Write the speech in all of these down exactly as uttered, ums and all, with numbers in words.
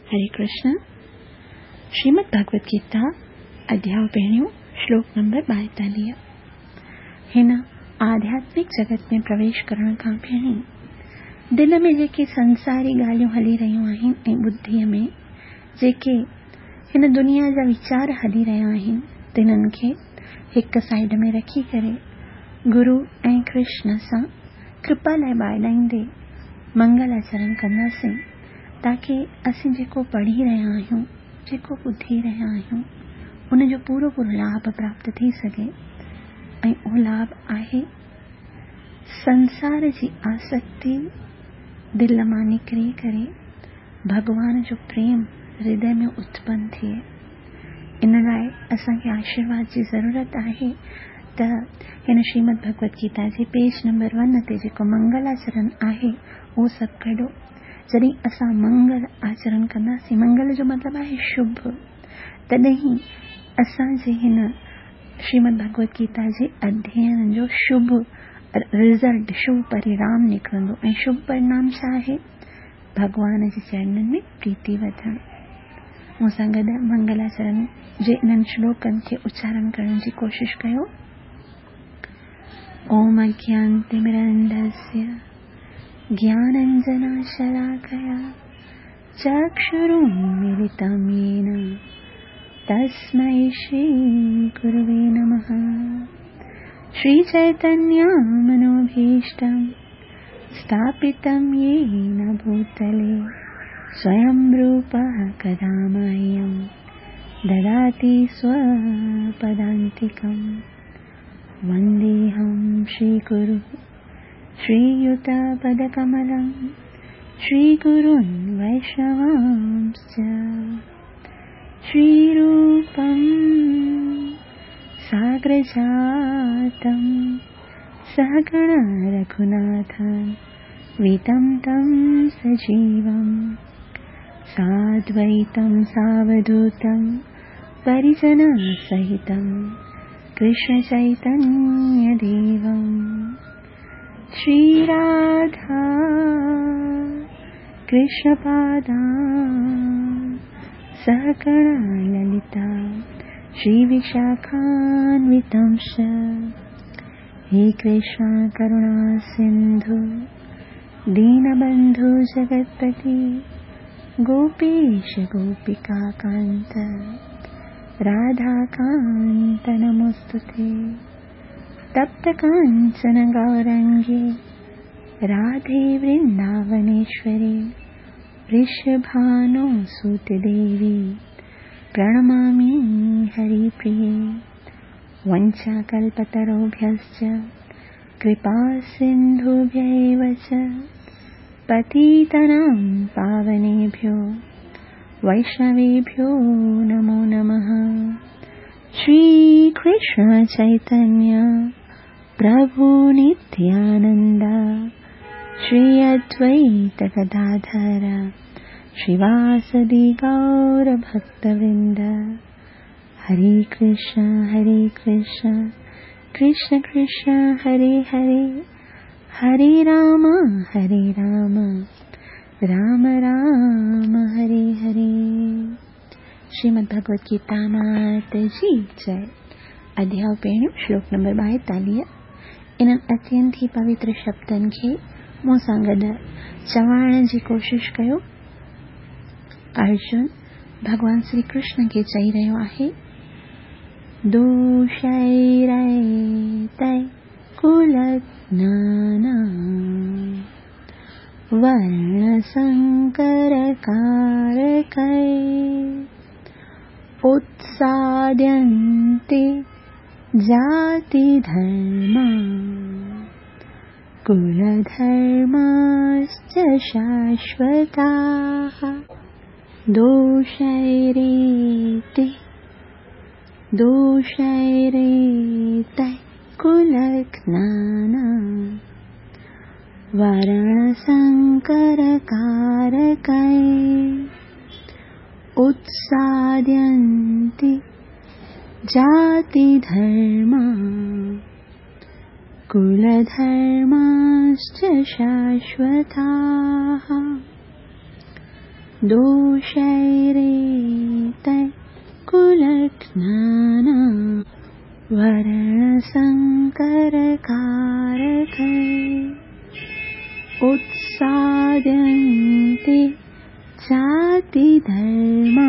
हरे कृष्ण। श्रीमद् भगवद गीता अध्याय पहिरियों श्लोक नंबर ॿाएतालीह। हिन आध्यात्मिक जगत में प्रवेश करण खां पहिरीं दिलि में जेके संसारी ॻाल्हियूं हली रहियूं आहिनि ऐं बुद्धिअ में जेके हिन दुनिया जा वीचार हली रहिया आहिनि, तिन्हनि खे हिकु साइड में रखी करे गुरू ऐं कृष्ण सां कृपा लाइ ॿाइलाईंदे मंगल आचरण कंदासीं, ताकी असीं जेको पढ़ी रहिया आहियूं, जेको ॿुधी रहिया आहियूं, उनजो पूरो पूरो लाभ प्राप्त थी सघे। ऐं उहो लाभ आहे संसार जी आसक्ति दिलि मां निकिरी करे भॻवान जो प्रेम हृदय में उत्पन्न थिए। इन लाइ असांखे आशीर्वाद जी ज़रूरत आहे त हिन श्रीमद् भगवद गीता जे पेज नंबर वन ते जेको मंगलाचरण आहे उहो सभु कढो। जॾहिं असां मंगल आचरण कंदासीं, मंगल जो मतिलबु आहे शुभ, तॾहिं असांजे हिन श्रीमद् भगवद गीता जे अध्ययन जो शुभ रिज़ल्ट, शुभ परिणाम निकिरंदो। ऐं शुभ परिणाम छा आहे? भॻवान जे चरणनि में प्रीति वधणु। मूंसां गॾु मंगलाचरण जे इन्हनि श्लोकनि खे उच्चारण करण जी कोशिश कयो। ओम अज्ञानतिमिरन्धस्य ज्ञानाञ्जनशलाकया चक्षुरुन्मीलितं येन तस्मै श्रीगुरवे नमः। श्रीचैतन्यमनोभीष्टं स्थापितं येन भूतले स्वयं रूपः कदा मह्यं ददाति स्वपदान्तिकं। वन्देऽहं श्रीगुरुं श्रीयुतपदकमलं श्रीगुरून् वैष्णवांश्च। श्रीरूपं साग्रजातं सहगण रघुनाथं वितं तं सजीवं साद्वैतं सावधूतं परिजनसहितं कृष्णचैतन्यदेवं। श्रीराधा कृष्णपादा सहगण ललिता श्रीविशाखान्वितंश। हे कृष्ण करुणा सिन्धु दीनबन्धु जगत्पति गोपीश गोपिकान्त राधाकान्त नमोऽस्तुते। तप्त काञ्चन गौरङ्गे राधे वृन्दावनेश्वरी वृषभानुसुते देवी प्रणमामि हरिप्रिये। वञ्चाकल्पतरुभ्यश्च कृपासिन्धुभ्य एव च पतितानां पावनेभ्यो वैष्णवेभ्यो नमो नमः। श्रीकृष्ण चैतन्य प्रभु नित्यानन्द श्री अद्वैत गदाधर श्रीवासदि गौरभक्तवृन्द। हरे कृष्ण हरे कृष्ण कृष्ण कृष्ण हरे हरे, हरे राम हरे राम राम राम हरे हरे। श्रीमद् भगवद गीता मात जी जय। अध्याय पहिरियों श्लोक नंबर ॿाएतालीह। इन्हनि अत्यंत ई पवित्र शब्दनि खे मूंसां गॾु चवण जी कोशिश कयो। अर्जुन भॻवान श्री कृष्ण खे चई रहियो आहे, दोषैरैतैः कुलघ्नानां वर्णसङ्करकारकैः उत्साद्यन्ते जातिधर्मा कुलधर्माश्च शाश्वताः। दोषैरेते दोषैरेतैः कुलघ्नानां वर्णसङ्करकारकैः उत्साद्यन्ते जातिधर्मा कुलधर्माश्च शाश्वताः। दोषैरेतैः कुलघ्नानां वर्णसंकरकारकैः उत्साद्यन्ते जातिधर्मा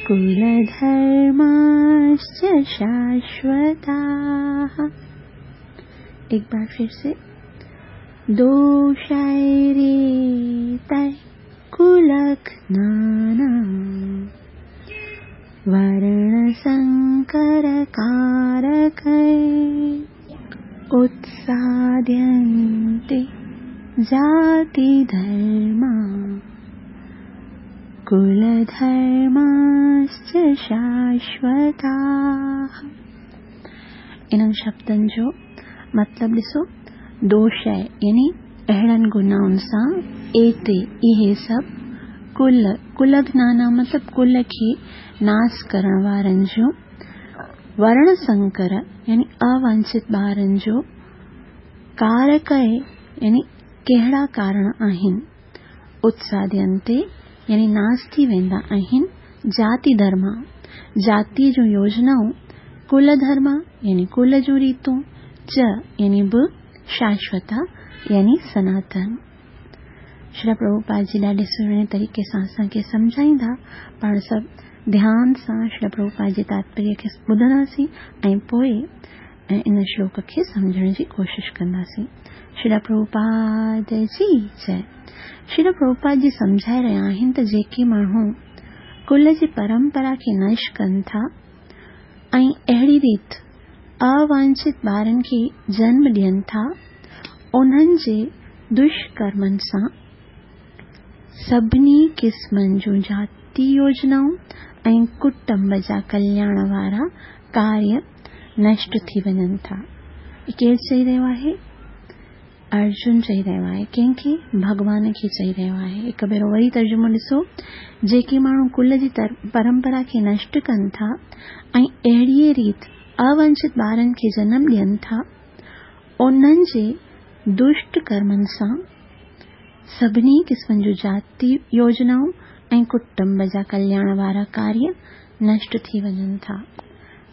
कुलधर्माश्च शाश्वताः। एक बार फिर से, दोषैरेतैः कुलघ्नानां वर्णसंकरकारकैः उत्साद्यन्ते जातिधर्मा कुलधर्माश्च शाश्वताः। इन्हनि शब्दनि जो मतिलबु ॾिसो, दोष यानी अहिड़नि गुनाहुनि सां एते इहे सभु कुल कुलघ्नाना मतिलबु कुल खे नास करण वारनि जो, वर्ण संकर यानी अवांछित ॿारनि जो, कारक यानी कहिड़ा कारण आहिनि, उत्सादयन्ते यानी नास थी वेंदा आहिनि, जाति धर्मा जाति जूं योजनाऊं, कुल धर्मा यानी कुल जूं रीतूं, च यानी बि शाश्वता यानी सनातन। श्री प्रभुपाद जी ॾाढे सुहिणे तरीक़े सां असांखे सम्झाईंदा। पाण सभु ध्यान सां श्री प्रभुपाद जे तात्पर्य खे ॿुधंदासीं ऐं पोइ इन श्लोक खे सम्झण जी कोशिशि कंदासीं। श्री प्रभुपाद जी जय। श्री प्रभुपाद जी सम्झाए रहिया आहिनि त जेके माण्हू कुल जी परंपरा खे नष्ट कनि था ऐं अहिड़ी रीति अवांछित ॿारनि खे जन्म ॾियनि था, उन्हनि जे दुष्कर्मनि सां सभिनी क़िस्मनि जूं जाति योजनाऊं ऐं कुटुंब जा कल्याण वारा कार्य नष्ट थी वञनि था। केरु चई रहियो आहे? अर्जुन चई रहियो आहे। कंहिंखे? भॻवान खे चई रहियो आहे। हिकु भेरो वरी तर्जुमो ॾिसो, जेके माण्हू कुल जी परंपरा खे नष्ट कनि था ऐं अहिड़ीअ रीति अवांछित ॿारनि खे जनम ॾियनि था, उन्हनि जे दुष्ट कर्मनि सां सभिनी क़िस्मनि जूं जाति योजनाऊं ऐं कुटुंब जा कल्याण वारा कार्य नष्ट थी वञनि था।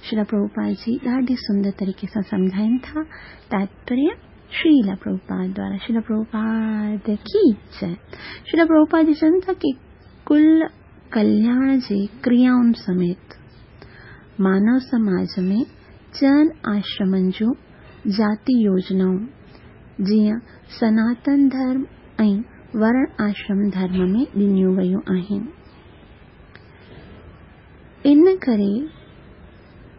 श्रील प्रभुपाद जी ॾाढे सुंदर तरीक़े सां सम्झाइनि था। तात्पर्य श्रील प्रभुपाद द्वारा। श्रील प्रभुपाद की जय। श्रील प्रभुपाद जी चवनि था की कुल कल्याण जे क्रियाउनि समेत मानव समाज में चनि आश्रमनि जूं जाति योजनाऊं जीअं सनातन धर्म ऐं वर्ण आश्रम धर्म में ॾिनियूं वयूं आहिनि। इन करे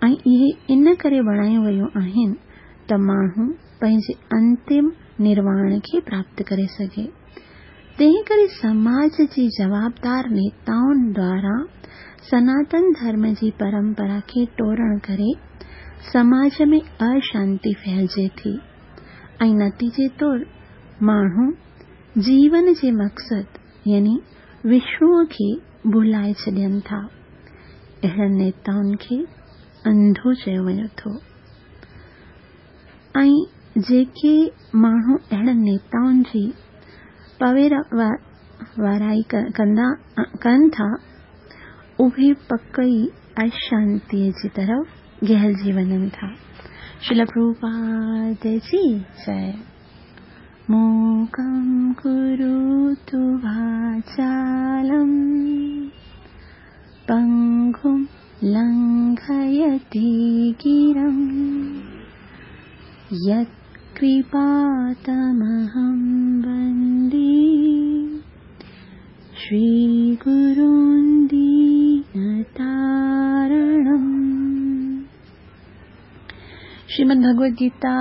ऐं इहे इन करे बणायूं वयूं आहिनि त माण्हू पंहिंजे अंतिम निर्वाण खे प्राप्त करे सघे। तंहिं करे समाज जी जवाबदार नेताउनि द्वारा सनातन धर्म जी परंपरा खे टोड़ण करे समाज में अशांति फैलिजे थी ऐं नतीजे तौर माण्हू जीवन जे मक़सद यानी विष्णुअ खे भुलाए छॾनि था। अहिड़नि नेताउनि खे अंधो चयो वञे थो ऐं जेके माण्हू अहिड़नि नेताउनि जी पवेर वाराई कंदा कनि था, उहे पक ई अशांतीअ जी तरफ़ गहलजी वञनि था। श्रील प्रभुपाद जी जय। मूकं करोतु वाचालं पङ्गुं लङ्घयति गिरं यत्कृपातमहं वन्दे श्रीगुरुं दीनतारणम्। श्रीमद् भगवद गीता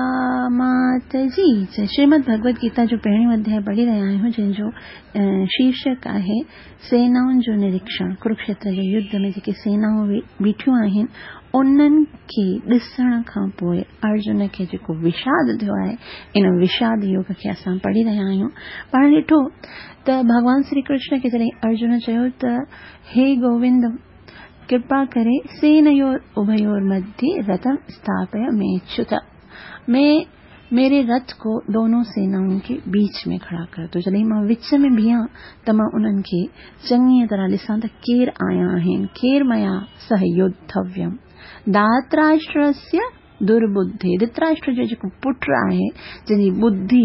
मात जी जय। श्रीमद् भगवद गीता जो पहिरियों अध्याय पढ़ी रहिया आहियूं, जंहिंजो शीर्षक आहे सेनाउनि जो निरीक्षण। कुरुक्षेत्र जे युद्ध में जेके सेनाऊं बीठियूं आहिनि उन्हनि खे ॾिसण खां पोइ अर्जुन खे जेको विषाद थियो आहे, इन विषाद योग खे असां पढ़ी रहिया आहियूं। पाण ॾिठो त भॻवान श्री कृष्ण खे जॾहिं अर्जुन चयो त हे गोविंद, कृपा करे सेनयोर उभयोर मध्ये रथम स्थापय मेच्युत, में मेरे रथ को दोनों सेनाओं के बीच में खड़ा कर दो। जॾहिं मां विच में बीहां त मां उन्हनि खे चङीअ तरह ॾिसां त केरु आया आहिनि, केरु मया सह योद्धव्यम। धातराष्ट्रस्य दुर्बुद्धि, धृतराष्ट्र जो जेको पुट आहे जंहिंजी बुद्धि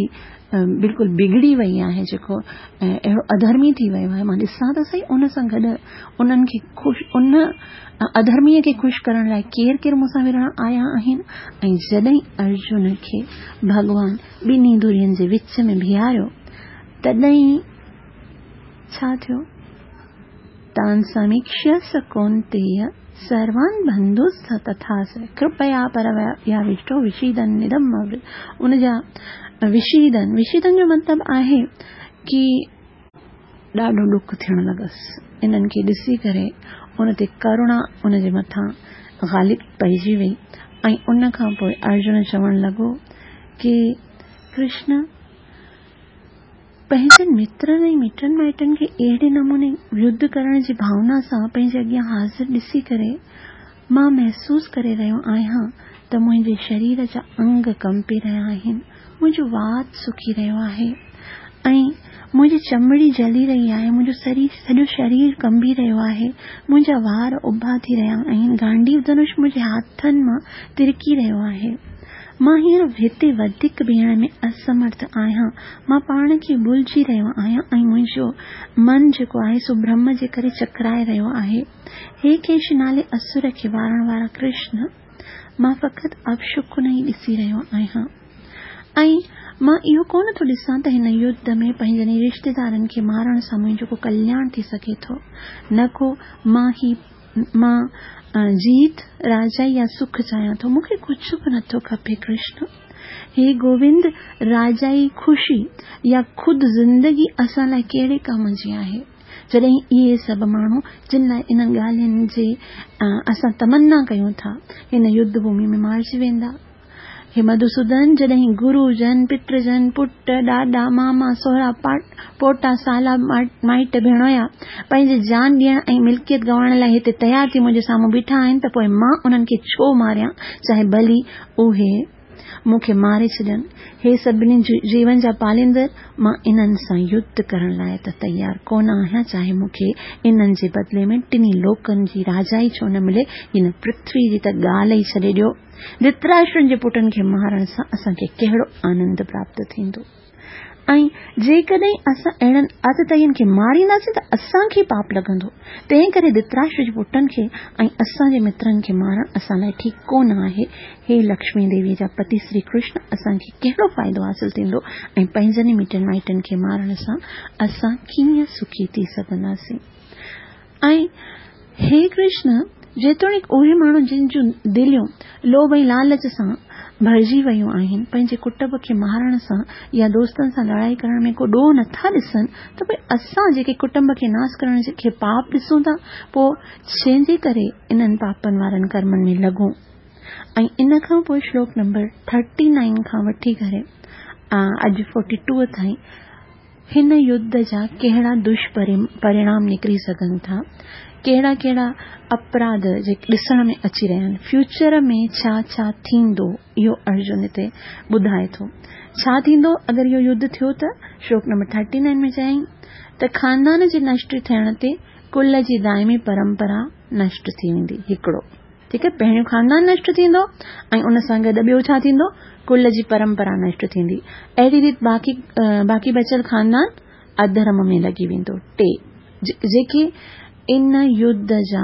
बिल्कुलु बिगड़ी वई आहे, जेको अहिड़ो अधर्मी थी वियो आहे, मां ॾिसां त सही उन सां गॾु उन्हनि खे ख़ुशि, उन अधर्मीअ खे ख़ुशि करण लाइ केरु केरु मूंसां विढ़ण आया आहिनि। ऐं जॾहिं अर्जुन खे भॻवान ॿिन्ही धुरियुनि जे विच में बीहारियो तॾहिं छा थियो? तान् समीक्ष्य स कौन्तेय सर्वान् बंधुस् तथा स कृपया परयाविष्टो विषीदन् इदम् अब्रवीत्। उन जा विषीदन, विषीदन जो मतिलबु आहे की ॾाढो ॾुख थियण लॻुसि। इन्हनि खे ॾिसी करे उन ते करुणा उन जे मथां ग़ालिब पइजी वई ऐं उन खां पोइ अर्जुन चवणु लॻो की कृष्ण, पंहिंजनि मित्रनि ऐं मिटनि माइटनि खे अहिड़े नमूने युद्ध करण जी भावना सां पंहिंजे अॻियां हाज़िर ॾिसी करे मां महसूसु करे रहियो आहियां त मुंहिंजे शरीर जा अंग कंपी रहिया आहिनि, मुंहिंजो वात सुकी रहियो आहे ऐं मुंहिंजी चमड़ी जली रही आहे, मुंहिंजो शरीर सॼो शरीर कंबी रहियो आहे, मुंहिंजा वार उभा थी रहिया आहिनि, गांडीव धनुष मुंहिंजे हाथनि मां तिरकी रहियो आहे। मां हींअर हिते वधीक बीहण में असमर्थ आहियां, मां पाण खे भुलिजी रहियो आहियां ऐं मुंहिंजो मन जेको आहे सो भ्रम जे करे चकराए रहियो आहे। हे केश नाले असुर खे वारण वारा कृष्ण, मां फ़क़ति अपशकुन ई ॾिसी रहियो आहियां ऐं मां इहो कोन थो ॾिसां त हिन युद्ध में पंहिंजनि रिश्तेदारनि खे मारण सां मुंहिंजो को कल्याण थी सघे थो, न को मां ही मां जीत राजा या सुख चाहियां थो, मूंखे कुझु बि नथो खपे कृष्ण। हे गोविंद, राजाई ख़ुशी या ख़ुदि ज़िंदगी असां लाइ कहिड़े कम जी आहे? जॾहिं इहे सभु माण्हू जिन लाइ इन्हनि ॻाल्हियुनि जी असां तमन्ना कयूं था हिन युद्ध भूमि में मारिजी वेंदा। हे मधुसूदन, जॾहिं गुरुजन, पितृजन, पुट, ॾाॾा, मामा, सोहरा, पोटा, साला, माइट, भेणोया पंहिंजी जान ॾियण ऐं मिल्कियत गंवाइण लाइ हिते तयारु थी मुंहिंजे साम्हूं बीठा आहिनि त पोइ मां उन्हनि खे छो मारियां, चाहे भली उहे मूंखे मारे छॾनि। हे सभिनी जीवन जा पालींदड़, मां इन्हनि सां युद्ध करण लाइ त तयारु कोन आहियां, चाहे मूंखे इन्हनि जे बदिले में टिन्ही लोकनि जी राजाई छो न मिले, हिन पृथ्वी जी त ॻाल्हि ई छॾे ॾियो। धृतराष्ट्रनि जे पुटनि खे मारण सां असांखे कहिड़ो आनंद प्राप्त थींदो? ऐं जेकॾहिं असां अहिड़नि आतताईनि खे मारींदासीं त असांखे पाप लॻंदो। तंहिं करे धृतराष्ट्र जे पुटनि खे ऐं असांजे मित्रनि खे मारण असां लाइ ठीकु कोन आहे। हे लक्ष्मी देवी जा पति श्री कृष्ण, असांखे कहिड़ो फ़ाइदो हासिल थींदो ऐं पंहिंजनि मिटनि माइटनि खे मारण सां असां कीअं सुखी थी सघंदासीं? ऐं हे कृष्ण, जेतोणीकि उहे माण्हू जिन जूं दिलियूं लोभ ऐं लालच सां भरिजी वयूं आहिनि, पंहिंजे कुटुंब खे मारण सां या दोस्तनि सां लड़ाई करण में को ॾोह नथा ॾिसनि, त पोइ असां जेके कुटुंब खे नाश करण खे पाप ॾिसूं था, पोइ छंहिंजे करे इन्हनि पापनि वारनि कर्मनि में लॻूं? ऐं इन खां पोइ श्लोक नंबर थर्टी नाइन खां वठी करे अॼु फोर्टी टू ताईं हिन युद्ध जा कहिड़ा दुष्परिणाम निकिरी सघनि था, कहिड़ा कहिड़ा अपराध जेके ॾिसण में अची रहिया आहिनि, फ्यूचर में छा छा थींदो, इहो अर्जुन हिते ॿुधाए थो। छा थींदो अगरि इहो युद्ध थियो त? श्लोक नंबर थर्टी नाइन में चयईं त ख़ानदान जे नष्ट थियण ते कुल जी दाइमी परंपरा नष्ट थी वेंदी। हिकिड़ो, ठीकु आहे, पहिरियों ख़ानदान नष्ट थींदो ऐं उन सां गॾु ॿियो छा थींदो? कुल जी परंपरा नष्ट थींदी। अहिड़ी रीति बाक़ी बाक़ी बचियल ख़ानदान अधर्म में लॻी वेंदो। टे, जेके इन युद्ध जा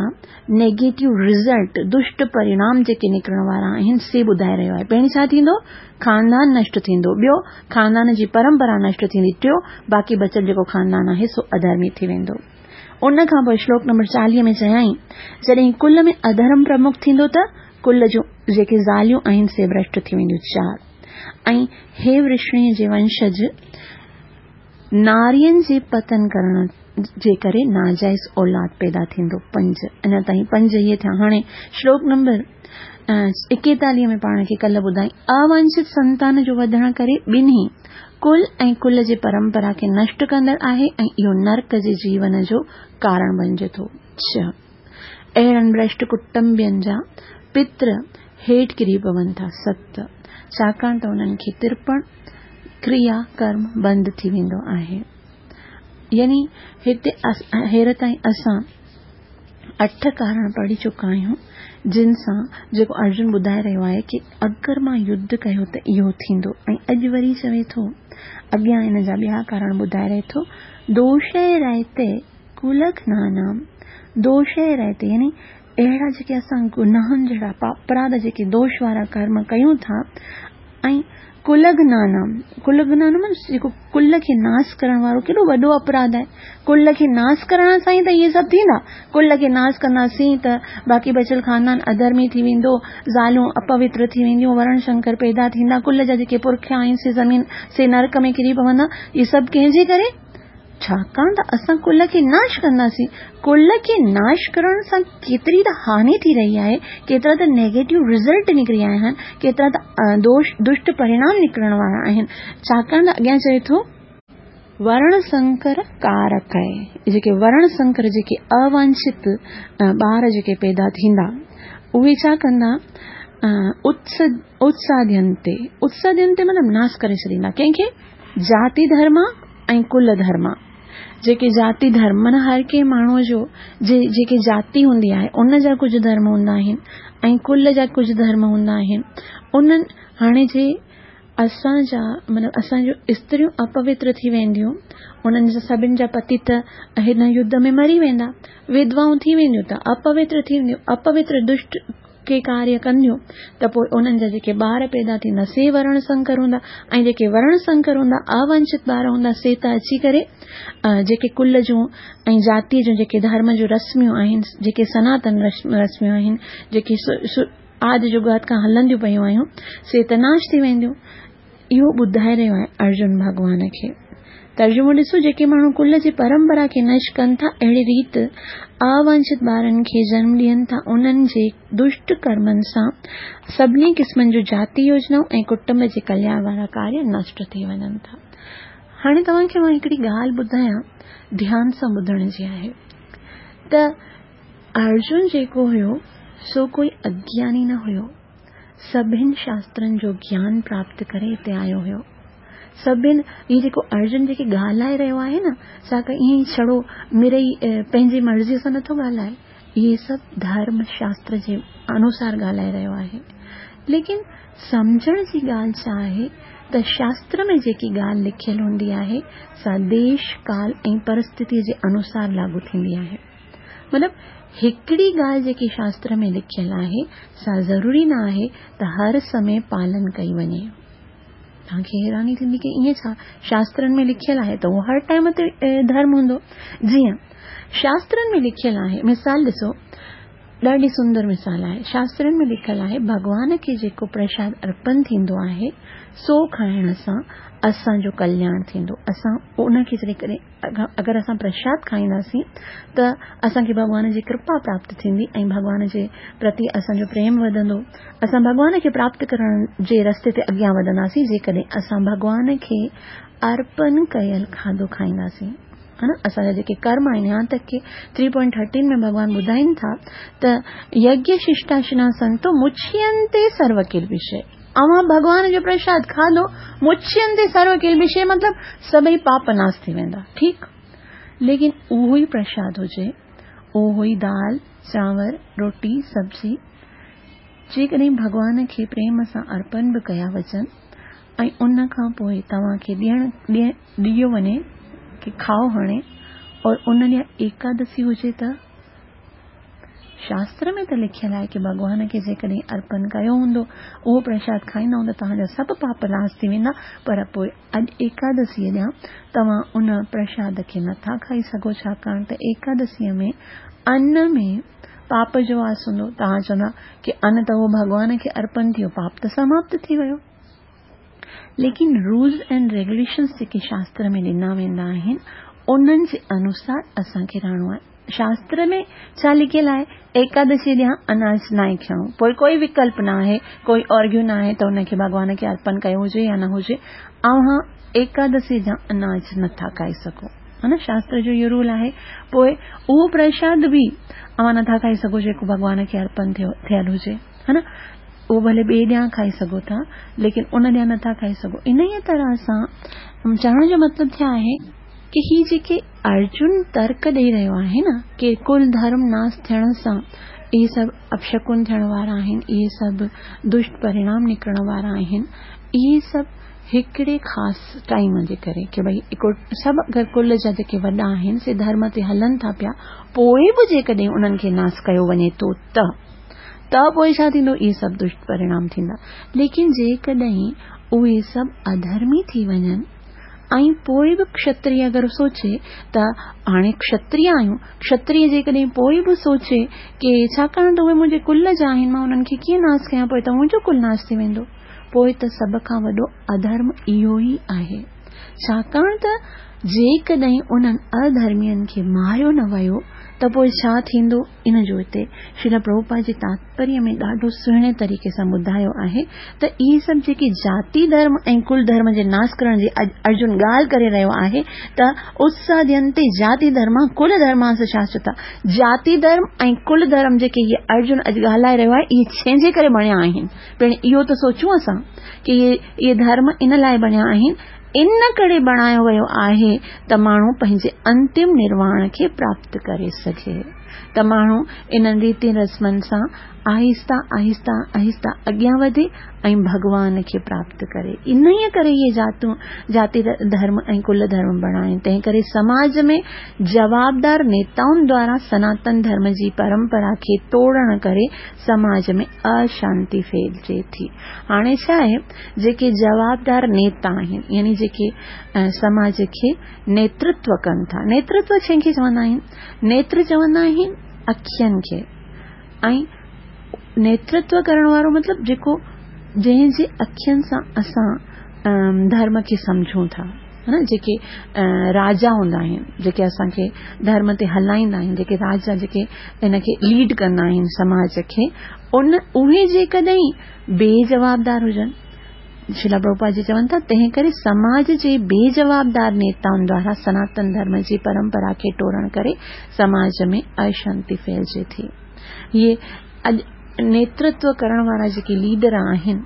नेगेटिव रिज़ल्ट, दुष्ट परिणाम जेके निकिरण वारा आहिनि से ॿुधाए रहियो आहे। पहिरीं छा थींदो? ख़ानदान नष्ट थींदो। ॿियो, ख़ानदान जी परंपरा नष्ट थींदी। टियों, बाक़ी बचियल जेको ख़ानदान आहे सो अधर्मी थी वेंदो। उन खां पोइ श्लोक नंबर चालीह में चयाईं, जॾहिं कुल में अधर्म प्रमुख थींदो त कुल जूं जेके ज़ालियूं आहिनि से भ्रष्ट थी वेंदियूं। चारि, ऐं हे वृष्णीअ जे वंशज, नारियनि जे पतन करण जे करे नाजाइज़ औलाद पैदा थींदो। पंज, अञा ताईं पंज इहे थिया। हाणे श्लोक नंबर एकेतालीह में पाण खे कल्ह ॿुधाई, अवांछित संतान जो वधण करे ॿिन्ही कुल ऐं कुल जे परंपरा खे नष्ट कंदड़ आहे ऐं इहो नरक जे जीवन जो कारण बणिजे थो। छह, अहिड़नि भ्रष्ट कुटुंबियुनि जा पित्र हेठि किरी पवनि था। सत, छाकाणि त उन्हनि खे तिरपण क्रिया कर्म बंदि थी वेंदो आहे। यानी हिते हेर ताईं असां अठ कारण पढ़ी चुका आहियूं जिन सां जेको अर्जुन ॿुधाए रहियो आहे की अगरि मां युद्ध कयो त इहो थींदो। ऐं अॼु वरी चवे थो, अॻियां हिन जा ॿिया कारण ॿुधाए रहे थो, दोषे रहते कुलघ्नानाम। दोषे रहते यानी अहिड़ा जेके असां गुनाहनि जहिड़ा अपराध जेके दोष वारा कर्म कयूं था। ऐं कुलघ्नानाम, कुलघ्नानाम जेको कुल खे नाश करण वारो केॾो वॾो अपराध आहे। कुल खे नाश करण सां ई त इहे सभु थींदा। कुल खे नाश कंदासीं त बाक़ी बचियल ख़ानदान अधर्मी थी वेंदो, ज़ालूं अपवित्र थी वेंदियूं, वर्ण शंकर पैदा थींदा, कुल जा जेके पुरखिया आहिनि से ज़मीन से नरक में किरी पवंदा। इहे सभु कंहिंजे करे? छाकाणि त असां कुल खे नाश कंदासीं। कुल खे नाश करण सां केतिरी त हानि थी रही आहे, केतिरा त नेगेटिव रिज़ल्ट निकिरी आया आहिनि, केतिरा त दोष दुष्ट परिणाम निकिरण वारा आहिनि। छाकाणि त अॻियां चए थो वर्ण संकर कारक आहे, जेके वर्ण संकर जेके अवांछित ॿार जेके पैदा थींदा उहे छा कंदा, उत्साद्यंते। उत्साद्यंते मतिलबु नाश करे छॾींदा कंहिंखे? जाति धर्म ऐं कुल धर्म। जेके जाति धर्म माना हर कंहिं माण्हूअ जो जे जेके जाति हूंदी आहे उन जा कुझु धर्म हूंदा आहिनि ऐं कुल जा कुझु धर्म हूंदा आहिनि। उन्हनि हाणे जे असांजा मतिलबु असांजो स्त्रियूं अपवित्र थी वेंदियूं, उन्हनि जा सभिनि जा पति त हिन युद्ध में मरी वेंदा, विधवाऊं थी वेंदियूं त अपवित्र थी वेंदियूं, अपवित्र दुष्ट के कार्य कंदियूं त पोइ उन्हनि जा जेके ॿार पैदा थींदा से वर्ण संकर हूंदा ऐं जेके वर्ण संकर हूंदा अवांछित ॿार हूंदा से त अची करे जेके कुल जूं ऐं जातीअ जूं जेके धर्म जूं रस्मियूं आहिनि, जेके सनातन रस्मियूं आहिनि, जेके आदि जुगात खां हलंदियूं पयूं आहियूं से त नाश थी वेंदियूं। इहो ॿुधाए रहियो आहे अर्जुन भॻवान खे। तर्जुमो ॾिसो, जेके माण्हू कुल जी परंपरा खे नष्ट कनि था, अहिड़ी रीति अवांछित ॿारनि खे जन्म ॾियनि था, उन्हनि जे दुष्ट कर्मनि सां सभिनी क़िस्मनि जूं जाति योजनाऊं ऐं कुटुंब जे कल्याण वारा कार्य नष्ट थी वञनि था। हाणे तव्हांखे मां हिकिड़ी ॻाल्हि ॿुधायां, ध्यान सां ॿुधण जी आहे त अर्जुन जेको हुयो सो कोई अज्ञानी न हुयो, सभिनि शास्त्रनि जो ज्ञान प्राप्त करे हिते आयो हुयो। सभिनि हीउ जेको अर्जुन जेके ॻाल्हाए रहियो आहे न, सा ईअं ई छड़ो मिड़ई पंहिंजी मर्ज़ीअ सां नथो ॻाल्हाए, इहे सभु धर्म शास्त्र जे अनुसार ॻाल्हाए रहियो आहे। लेकिन सम्झण जी ॻाल्हि छा आहे त शास्त्र में जेकी ॻाल्हि लिखियल हूंदी आहे सा देश काल ऐं परिस्थितीअ जे अनुसार लागू थींदी आहे। मतिलबु हिकिड़ी ॻाल्हि जेकी शास्त्र में लिखियल आहे सा ज़रूरी न आहे त हर समय पालन कई वञे। तव्हांखे हैरानी थींदी की ईअं छा, शास्त्रनि में लिखियल आहे त उहो हर टाइम ते धर्म हूंदो। जीअं शास्त्रनि में लिखियल आहे, मिसाल ॾिसो, ॾाढी सुंदर मिसाल आहे। शास्त्रनि में लिखियल आहे भॻवान खे जेको प्रसाद अर्पण थींदो आहे सो खाइण सां असांजो कल्याण थींदो। असां उनखे छॾी करे अगरि असां प्रसाद खाईंदासीं त असांखे भॻवान जी कृपा प्राप्त थींदी ऐं भॻवान जे प्रति असांजो प्रेम वधंदो। असां भॻवान खे प्राप्त करण जे रस्ते ते अॻियां वधंदासीं जेकॾहिं असां भॻवान खे अर्पण कयल खाधो खाईंदासीं, हा न। असांजा जेके कर्म आहिनि, यहाँ तक की थ्री पॉइंट थर्टीन में भॻवान ॿुधाइनि था त यज्ञ शिष्टाशिना संतो मुच्यन्ते सर्व किल्बिषे। अवां भॻवान जो प्रसाद खाधो, मुच्यन्ते सर्व किल्बिषे मतिलबु सभई पाप नाश थी वेंदा, ठीकु। लेकिन उहो ई प्रसाद हुजे, उहो ई दाल चांवर रोटी सब्ज़ी जेकॾहिं भॻवान खे प्रेम सां अर्पण बि कया वञनि ऐं उन खां पोइ तव्हांखे ॾियण ॾियो वञे की खाओ हाणे, और उन ॾींहुं एकादशी हुजे त शास्त्र में त लिखियल आहे की भॻवान खे जेकॾहिं अर्पण कयो हूंदो उहो प्रसाद खाईंदा हूंदा तव्हांजा सभु पाप नाश थी वेंदा, पर पोइ अॼु एकादशीअ ॾियां तव्हां उन प्रसाद खे नथा खाई सघो, छाकाणि त एकादशीअ में अन्न में पाप जो वास हूंदो। तव्हां चवंदा की अन्न त उहो भॻवान खे अर्पण थियो, पाप त समाप्त थी वियो। लेकिन रूल्स एंड रेगुलेशंस जेके शास्त्र में ॾिना वेंदा आहिनि उन्हनि जे अनुसार असांखे रहणो आहे। शास्त्र में छा लिखियल आहे, एकादशी ॾींहुं अनाज न आहे खणो, पोइ कोई विकल्प न आहे, कोई अर्घ्यो न आहे त उनखे भॻवान खे अर्पण कयो हुजे या न हुजे, अव्हां एकादशी जा अनाज नथा खाई सघो, हा न। शास्त्र जो इहो रूल आहे। पोइ उहो प्रसाद बि अव्हां नथा खाई सघो जेको भॻवान खे अर्पण थियो थियल हुजे, हा न। اهو ڀلي ٻئي ڏينهن کائي سگهو ٿا، ليڪن ان ڏينهن نٿا کائي سگهو. انهيء طرح سان چوڻ جو مطلب ڇا آهي ڪه هي جيڪي ارجن ترڪ ڏئي رهيو آهي نه ڪه ڪل ڌرم ناس ٿيڻ سان اهي سڀ اپشڪن ٿيڻ وارا آهن، اهي سڀ دشٽ پرڻام نڪرڻ وارا آهن، اهي سڀ هڪڙي خاص ٽائيم جي ڪري ڪه ڀئي سڀ اگر ڪل جا جيڪي وڏا آهن سي ڌرم تي هلن ٿا پيا، پوءِ به جيڪڏهن انهن کي ناس ڪيو وڃي ٿو ته ته پوءِ ڇا ٿيندو؟ اهي سڀ دشٽ پرڻام ٿيندا. ليڪن جيڪڏهن اهي سڀ اڌرمي ٿي وڃن ۽ پوءِ به ڪشتريه اگر سوچي ته هاڻي ڪشتريه آهيون، ڪشتريه جيڪڏهن پوءِ به سوچي ڪه ڇاڪاڻ ته اهي منهنجي ڪل جا آهن، مان انهن کي ڪيئن ناس ڪيان، پوءِ ته منهنجو ڪل ناس ٿي ويندو، پوءِ ته سڀ کان وڏو اڌرم اهو ئي آهي. ڇاڪاڻ ته جيڪڏهن انهن اڌرمين کي ماريو نه ويو ته پوءِ ڇا ٿيندو؟ ان جو هتي شريل پرڀوپاد جي تاتپريه ۾ ڏاڍو سهڻي طريقي سان ٻڌايو آهي ته اهي سڀ جيڪي جاتي ڌرم ۽ ڪل ڌرم جي ناس ڪرڻ جي ارجن ڳالهه ڪري رهيو آهي ته اتسادينتي جاتي ڌرم ڪل ڌرماس شاشوتا، جاتي ڌرم ۽ ڪل ڌرم جيڪي اهي ارجن اڄ ڳالهائي رهيو آهي اهي ڇنهن جي ڪري بڻيا آهن. پڻ اهو ته سوچون اسان ڪه اهي اهي ڌرم ان لاءِ بڻيا آهن، ان ڪري بڻايو ويو آهي ته ماڻهو پنهنجي انتم نرواڻ کي پراپت ڪري سگهي، ته ماڻهو انهن ريتي رسمن سان آهستا آهستا آهستا اڳيان وڌي ۽ ڀڳوان کي پراپت ڪري. انهيءَ ڪري اهي جاتون جاتي ڌرم ۽ ڪل ڌرم بڻايا آهن. تنهن ڪري سماج ۾ جوابدار نيتائن دوارا سناتن ڌرم جي پرمپرا کي ٽوڙڻ ڪري سماج ۾ اشانتي ڦهلجي ٿي. هاڻي ڇا آهي، جيڪي جوابدار نيتا آهن، يعني جيڪي سماج کي نيترتو ڪن ٿا، نيترتو ڇنهن کي چوندا آهن؟ نيتر چوندا آهن اکين کي، ۽ نيترتو ڪرڻ وارو مطلب جيڪو جنهن جي اکين سان اسان ڌرم کي سمجهون ٿا، ها نه، جيڪي راجا هوندا آهن، جيڪي اسان کي ڌرم تي هلائيندا آهن، جيڪي راجا جيڪي هن کي ليڊ ڪندا آهن سماج کي، ان اهي جيڪڏهن بيجوابدار هجن، شريل پرڀوپاد جي چون ٿا، تنهن ڪري سماج جي بيجوابدار نيتائن دوارا سناتن ڌرم جي پرمپرا کي ٽوڙڻ ڪري سماج ۾ اشانتي ڦهلجي ٿي. اهي اڄ نيترتو ڪرڻ وارا جيڪي ليڊر آهن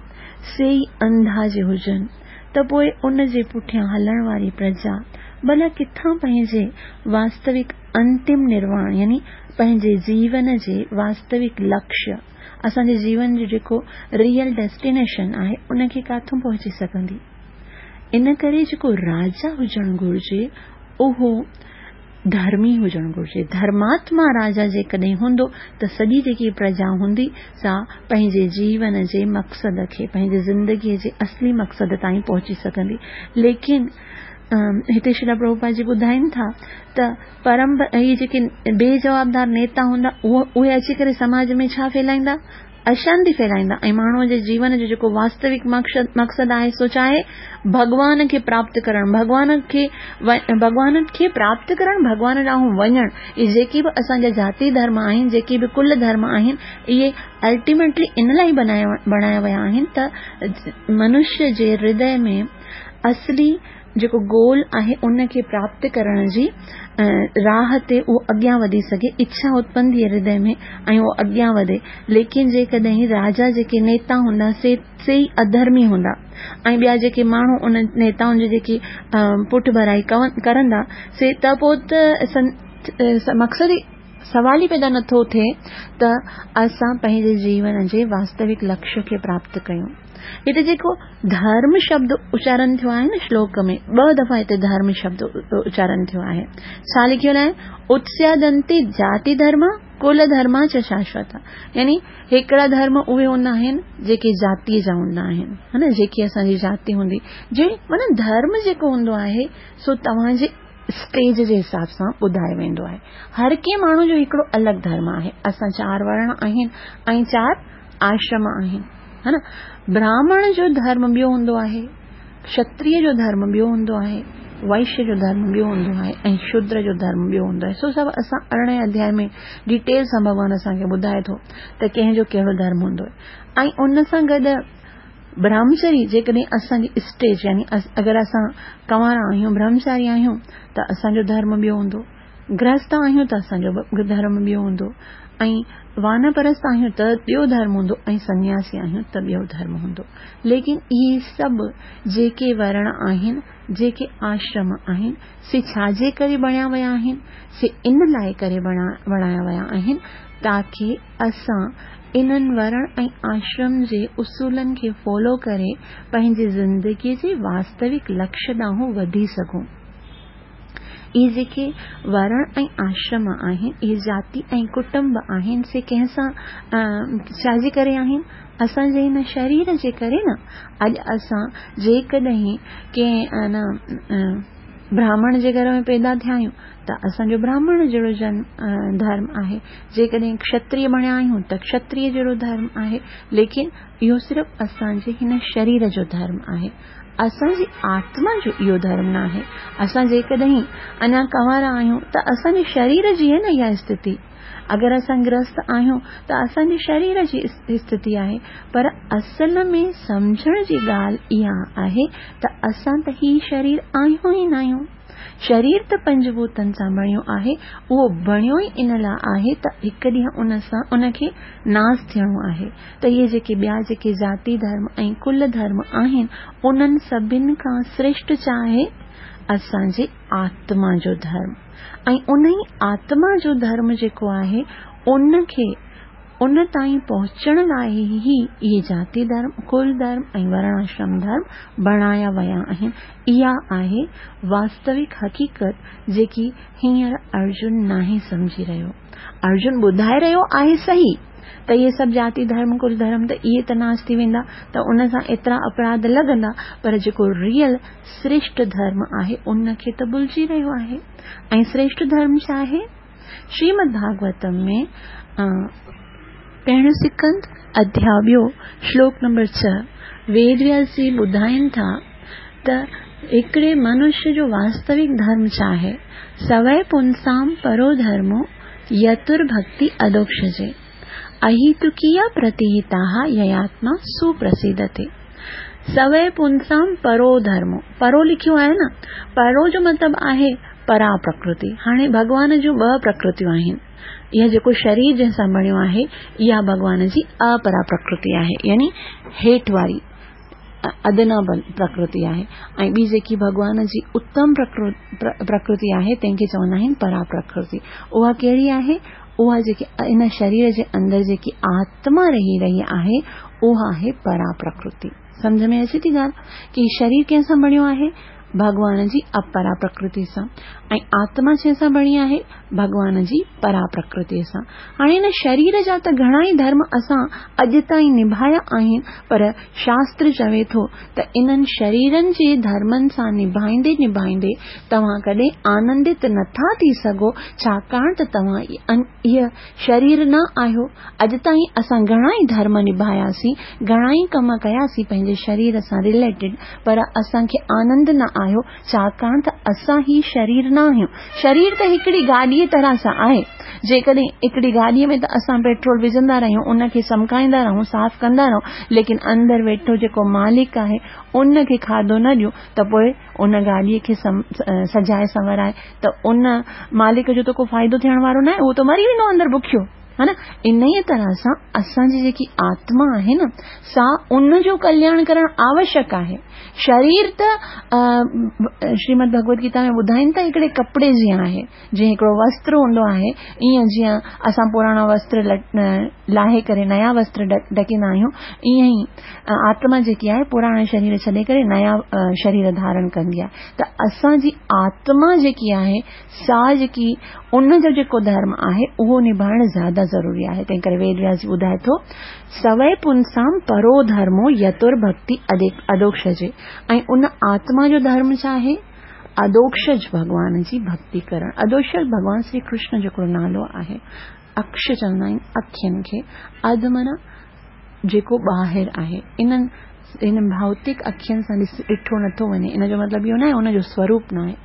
سي ئي انڌا جي هجن ته پوءِ ان جي پٺيان هلڻ واري پرجا ڀلا ڪٿان پنهنجي واستوڪ انتم نرواڻ، يعني پنهنجي جيون جي واستوڪ لڪشيه، اسان جي جيون جو جيڪو ريئل ڊيسٽينيشن آهي ان کي ڪاٿون پهچي سگهندي؟ ان ڪري جيڪو راجا هجڻ گهرجي اهو ڌرمي هجڻ گهرجي. ڌرماتما راجا جيڪڏهن هوندو ته سڄي جيڪي پرجا هوندي سا پنهنجي جيون جي مقصد کي، پنهنجي زندگيءَ جي اصلي مقصد تائين پهچي سگهندي. ليڪن هتي شريل پرڀوپاد جي ٻڌائين ٿا ته پرم اهي جيڪي بيجوابدار نيتا هوندا اهي اچي ڪري سماج ۾ ڇا ڦهلائيندا؟ اشانتي ڦهلائيندا. ۽ ماڻهوءَ جي جيون جو جيڪو واستوڪ مقصد آهي سو ڇا آهي؟ ڀڳوان کي پراپت ڪرڻ، ڀڳوان کي ڀڳوان کي پراپت ڪرڻ، ڀڳوان ڏانهن وڃڻ. اهي جيڪي به اسان جا جاتي ڌرم آهن، جيڪي به ڪل ڌرم آهن، اهي الٽيميٽلي ان لاءِ بنايا بڻايا ويا آهن ته منشيه جي هردي ۾ اصلي جيڪو گول آهي ان کي پراپت ڪرڻ جي راهه تي اهو اڳيان وڌي سگهي، اڇا اتپن ٿئي هردي ۾ ۽ اهو اڳيان وڌي. ليڪن جيڪڏهن راجا جيڪي نيتا هوندا سي سي ئي اڌرمي هوندا ۽ ٻيا جيڪي ماڻهو ان نيتائن جي جيڪي پٺ ڀرائي ڪرندا سي ته پوءِ ته مقصد ئي سوال ئي پيدا نٿو ٿئي ته اسان پنهنجي جيون جي واستوڪ لڪشيه کي پراپت ڪيون. هتي جيڪو ڌرم شبد اچارڻ ٿيو آهي نه شلوڪ ۾ ٻه دفعا هتي ڌرم شبد اچارڻ ٿيو آهي. ڇا لکيل آهي؟ اتسادنتي جاتي ڌرم ڪل ڌرم چ شاشوت. يعني هڪڙا ڌرم اهي هوندا آهن جيڪي جاتيءَ جا هوندا آهن، ها نه، جيڪي اسان جي جاتي هوندي، جي معنيٰ ڌرم جيڪو هوندو آهي سو توهان جي اسٽيج جي حساب سان ٻڌايو ويندو آهي. هر ڪنهن ماڻهو جو هڪڙو الڳ ڌرم آهي. اسان چار ورڻ آهن ۽ چار آشرم آهن، ها نه. براهمڻ جو ڌرم ٻيو هوندو آهي، ڪشتريه جو ڌرم ٻيو هوندو آهي، وئشيه جو ڌرم ٻيو هوندو آهي ۽ شودر جو ڌرم ٻيو هوندو آهي. سو سڀ اسان ارڙهين اڌياءِ ۾ ڊيٽيل سان ڀڳوان اسان کي ٻڌائي ٿو ته ڪنهن جو ڪهڙو ڌرم هوندو آهي. ۽ ان سان گڏ برهمچري جيڪڏهن اسان جي اسٽيج، يعني اگر اسان ڪنوارا آهيون، برهمچاري آهيون ته اسان جو ڌرم ٻيو هوندو. گرهست آهيون ته اسان جو ڌرم ٻيو هوندو ۽ وانپرست آهيون ته ٻيو ڌرم هوندو ۽ سنياسي آهيون ته ٻيو ڌرم هوندو. ليڪن اهي سڀ جيڪي ورڻ آهن، جيڪي آشرم آهن، سي ڇا جي ڪري بڻيا ويا آهن؟ سي ان لاءِ ڪري بڻايا ويا آهن تاڪه اسان انهن ورڻ ۽ آشرم جي اصولن کي فالو ڪري پنهنجي زندگيءَ جي واستوڪ لڪشيه ڏانهن وڌي سگهون. اهي جيڪي ورڻ ۽ آشرم آهن، اهي جاتي ۽ ڪٽنب آهن، سي ڪنهن سان ڇا جي ڪري آهن؟ اسان جي هن شرير جي ڪري نه. اڄ اسان جيڪڏهن ڪنهن براهمڻ جي گهر ۾ پيدا ٿيا آهيون ته اسان جو براهمڻ جهڙو جنم ڌرم آهي، جيڪڏهن ڪشتريه بڻيا آهيون ته ڪشتريه جهڙو ڌرم آهي، ليڪن اهو صرف اسان جي هن شرير جو ڌرم آهي، اسان جي آتما جو اهو ڌرم نه آهي. اسان جيڪڏهن اڃا ڪنوارا آهيون ته اسان جي شرير جي آهي نه اها اسٿتي. اگر اسان گرهست آهيون ته اسان جي شرير جي اسٿتي آهي، پر اصل ۾ سمجهڻ جي ڳالهه اها آهي ته اسان ته هي شرير آهيون ئي نه آهيون. شرير ته پنجڀوتن سان بڻيو آهي، اهو بڻيو ئي ان لاءِ آهي ته هڪ ڏينهن ان سان ان کي ناس ٿيڻو آهي. ته اهي جيڪي ٻيا جيڪي جاتي ڌرم ۽ ڪل ڌرم آهن، انهن سڀني کان شريشٺ ڇا آهي؟ اسان جي آتما جو ڌرم. ۽ ان ئي آتما جو ڌرم جيڪو آهي ان کي ان تائين پهچڻ لاءِ ئي اهي جاتي ڌرم، ڪل ڌرم ۽ ورڻ آشرم ڌرم بڻايا ويا آهن. اها آهي واستوڪ حقيقت جيڪي هينئر ارجن ناهي سمجهي رهيو. ارجن ٻڌائي رهيو آهي صحيح ته اهي سڀ جاتي ڌرم، ڪل ڌرم ته اهي ته ناش ٿي ويندا ته ان سان ايترا اپراڌ لڳندا، پر جيڪو ريئل شريشٺ ڌرم آهي ان کي ته ڀلجي رهيو آهي. ۽ شريشٺ ڌرم ڇا آهي؟ شريمد ڀاڳوتم ۾ پهريون سڪنڌ اڌياءُ ٻيو شلوڪ نمبر ڇهه ويد وياس جي ٻڌائين ٿا ته هڪڙي منشيه جو واستوڪ ڌرم ڇا آهي؟ سوئي پنسام پرو ڌرمو يتر ڀڪتي اڌوڪشجي اهيتڪيا پرتيهتا يياتما سپرسيدتي. سوئي پنسام پرو ڌرمو، پرو لکيو آهي نه، پرو جو مطلب آهي پرا پرڪرتي. هاڻي ڀڳوان جون ٻه پرڪرتيون آهن. اها جيڪو شرير جنهن سان بڻيو آهي اها ڀڳوان جي اپرا پرڪرتي آهي، يعني هيٺ واري ادنا پرڪرتي آهي، ۽ ٻي جيڪي ڀڳوان جي اتم پرڪرتي آهي تنهن کي چوندا آهن پرا پرڪرتي. اها ڪهڙي آهي؟ اها جيڪي ان شرير جي اندر جيڪي آتما رهي رهي آهي اها آهي پرا پرڪرتي. سمجهه ۾ اچي ٿي ڳالهه ڪه شرير ڪنهن سان بڻيو آهي؟ ڀڳوان جي اپرا پرڪرتي سان. ۽ آتما ڪنهن سان بڻي آهي؟ ڀڳوان جي پرا پرڪرتي سان. هاڻي هن شرير جا ته گهڻا ئي ڌرم اسان اڄ تائين نڀايا آهن، پر شاستر چوي ٿو ته انهن شريرن جي ڌرمن سان نڀائيندي نڀائيندي توهان ڪڏهن آنندت نٿا ٿي سگهو، ڇاڪاڻ ته توهان اهي شرير نه آهيو. اڄ تائين اسان گهڻا ئي ڌرم نڀاياسين، گهڻا ئي ڪم ڪياسين پنهنجي شرير سان رليٽيڊ، پر اسان کي آنند نه آيو، ڇاڪاڻ ته اسان هي شرير نه آهيون. شرير ته هڪڙي گاڏيءَ طرح سان آهي. جيڪڏهن هڪڙي گاڏيءَ ۾ ته اسان پيٽرول وجهندا رهيون، ان کي چمڪائيندا رهون، صاف ڪندا رهون، ليڪن اندر ويٺو جيڪو مالڪ آهي ان کي کاڌو نه ڏيون ته پوءِ ان گاڏيءَ کي سجائي سنورائي ته ان مالڪ جو ته ڪو فائدو ٿيڻ وارو نه آهي، اهو ته مري ويندو اندر بکيو، ها نه. ان ئي طرح سان اسان جي جيڪي آتما آهي نه، سا ان جو ڪلياڻ ڪرڻ آوشيڪ آهي. شرير ته شريمد ڀڳوت گيتا ۾ ٻڌائين ٿا هڪڙي ڪپڙي جيئن آهي، جيئن هڪڙو وستر هوندو آهي، ائين جيئن اسان پراڻا وستر لاهي ڪري نيا وستر ڍڪيندا آهيون، ائين ئي آتما جيڪي آهي پراڻا شرير ڇڏي ڪري نيا شرير ڌارڻ ڪندي آهي. ته اسان جي آتما جيڪي آهي سا جيڪي ان جو جيڪو ڌرم آهي اهو نڀائڻ زياده ضروري آهي. تنهن ڪري ويد وياس جي ٻڌائي ٿو سوئي پنسام پرو ڌرمو يتر ڀڪتي اڌوڪشجي. ۽ ان آتما جو ڌرم ڇا آهي؟ اڌوڪشج ڀڳوان جي ڀڪتي ڪرڻ. اڌوڪشج ڀڳوان شري ڪرشن جو هڪڙو نالو آهي. اڪش چوندا آهن اکين کي، اڌ معنيٰ جيڪو ٻاهر آهي. انهن هن ڀوتڪ اکين سان ڏٺو نٿو وڃي، ان جو مطلب اهو نه آهي ان جو سوروپ نه آهي،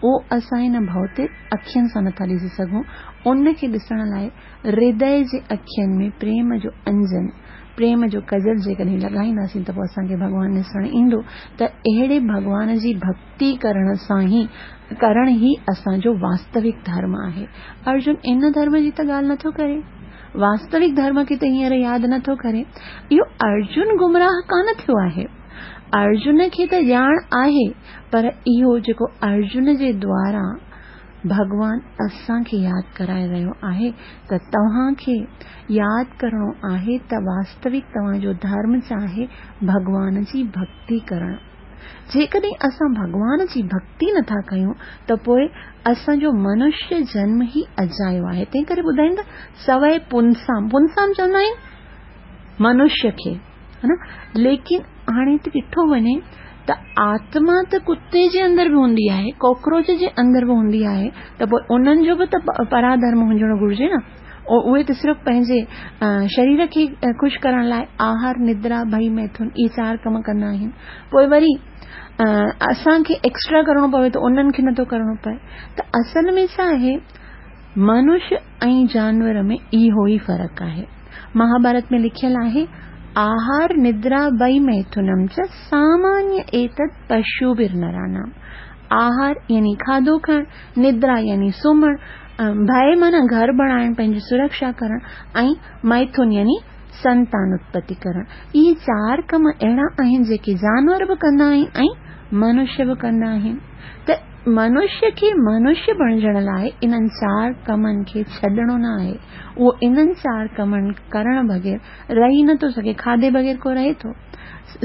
اهو اسان هن ڀوتڪ اکين سان نٿا ڏسي سگهون. ان کي ڏسڻ لاءِ هردي جي اکين ۾ پريم جو انجن प्रेम जो कजल जेकॾहिं लॻाईंदासीं त पोइ असांखे भॻवानु ॾिसण ईंदो। त अहिड़े भॻवान जी भक्ति करण सां ई करण ई असांजो वास्तविक धर्म आहे। अर्जुन इन धर्म जी त ॻाल्हि नथो करे, वास्तविक धर्म खे त हींअर यादि नथो करे। इहो अर्जुन गुमराह कान थियो आहे, अर्जुन खे त ॼाण आहे, पर इहो जेको अर्जुन जे द्वारा भॻवान असांखे यादि कराए रहियो आहे त तव्हांखे यादि करिणो आहे त वास्तविक तव्हांजो धर्म छा आहे, भॻवान जी भक्ति करणु। जेकॾहिं असां भॻवान जी भक्ति नथा कयूं त पोइ असांजो मनुष्य जन्म ई अजायो आहे। तंहिं करे ॿुधाइनि था सवै पुंसाम, पुंसाम चवंदा आहिनि मनुष्य खे, हा न। लेकिन हाणे त ॾिठो वञे त आत्मा त कुते जे अंदरि बि हूंदी आहे, कॉकरोच जे अंदरि बि हूंदी आहे, त पोइ उन्हनि जो बि त पराधर्म हुजणु घुरिजे न। उहे त सिर्फ़ु पंहिंजे शरीर खे ख़ुशि करण लाइ आहार, निद्रा, भई, मैथुन इहे चारि कम कंदा आहिनि। पोइ वरी असांखे एक्स्ट्रा करिणो पवे त उन्हनि खे नथो करिणो पए। त असल में छा आहे, मनुष्य ऐं जानवर में इहो ई फ़र्क़ु आहे। महाभारत में लिखियलु आहे, आहार निद्रा वै मैथुनम च सामान्य एतत् पशुभिर्नराणाम। आहार यानी खाधो खाइण, निद्रा यानी सुम्हणु, भय माना घर बणाइण, पंहिंजी सुरक्षा करणु, ऐं मैथुन यानी संतान उत्पत्ति करणु। इहे चारि कम अहिड़ा आहिनि जेके जानवर बि कंदा आहिनि ऐं मनुष्य बि कंदा आहिनि। त मनुष्य खे मनुष्य बणिजण लाइ इन्हनि चारि कमनि खे छॾिणो न आहे। उहो इन्हनि चारि कमनि करण बग़ैर रही नथो सघे। खाधे बग़ैर को रहे थो,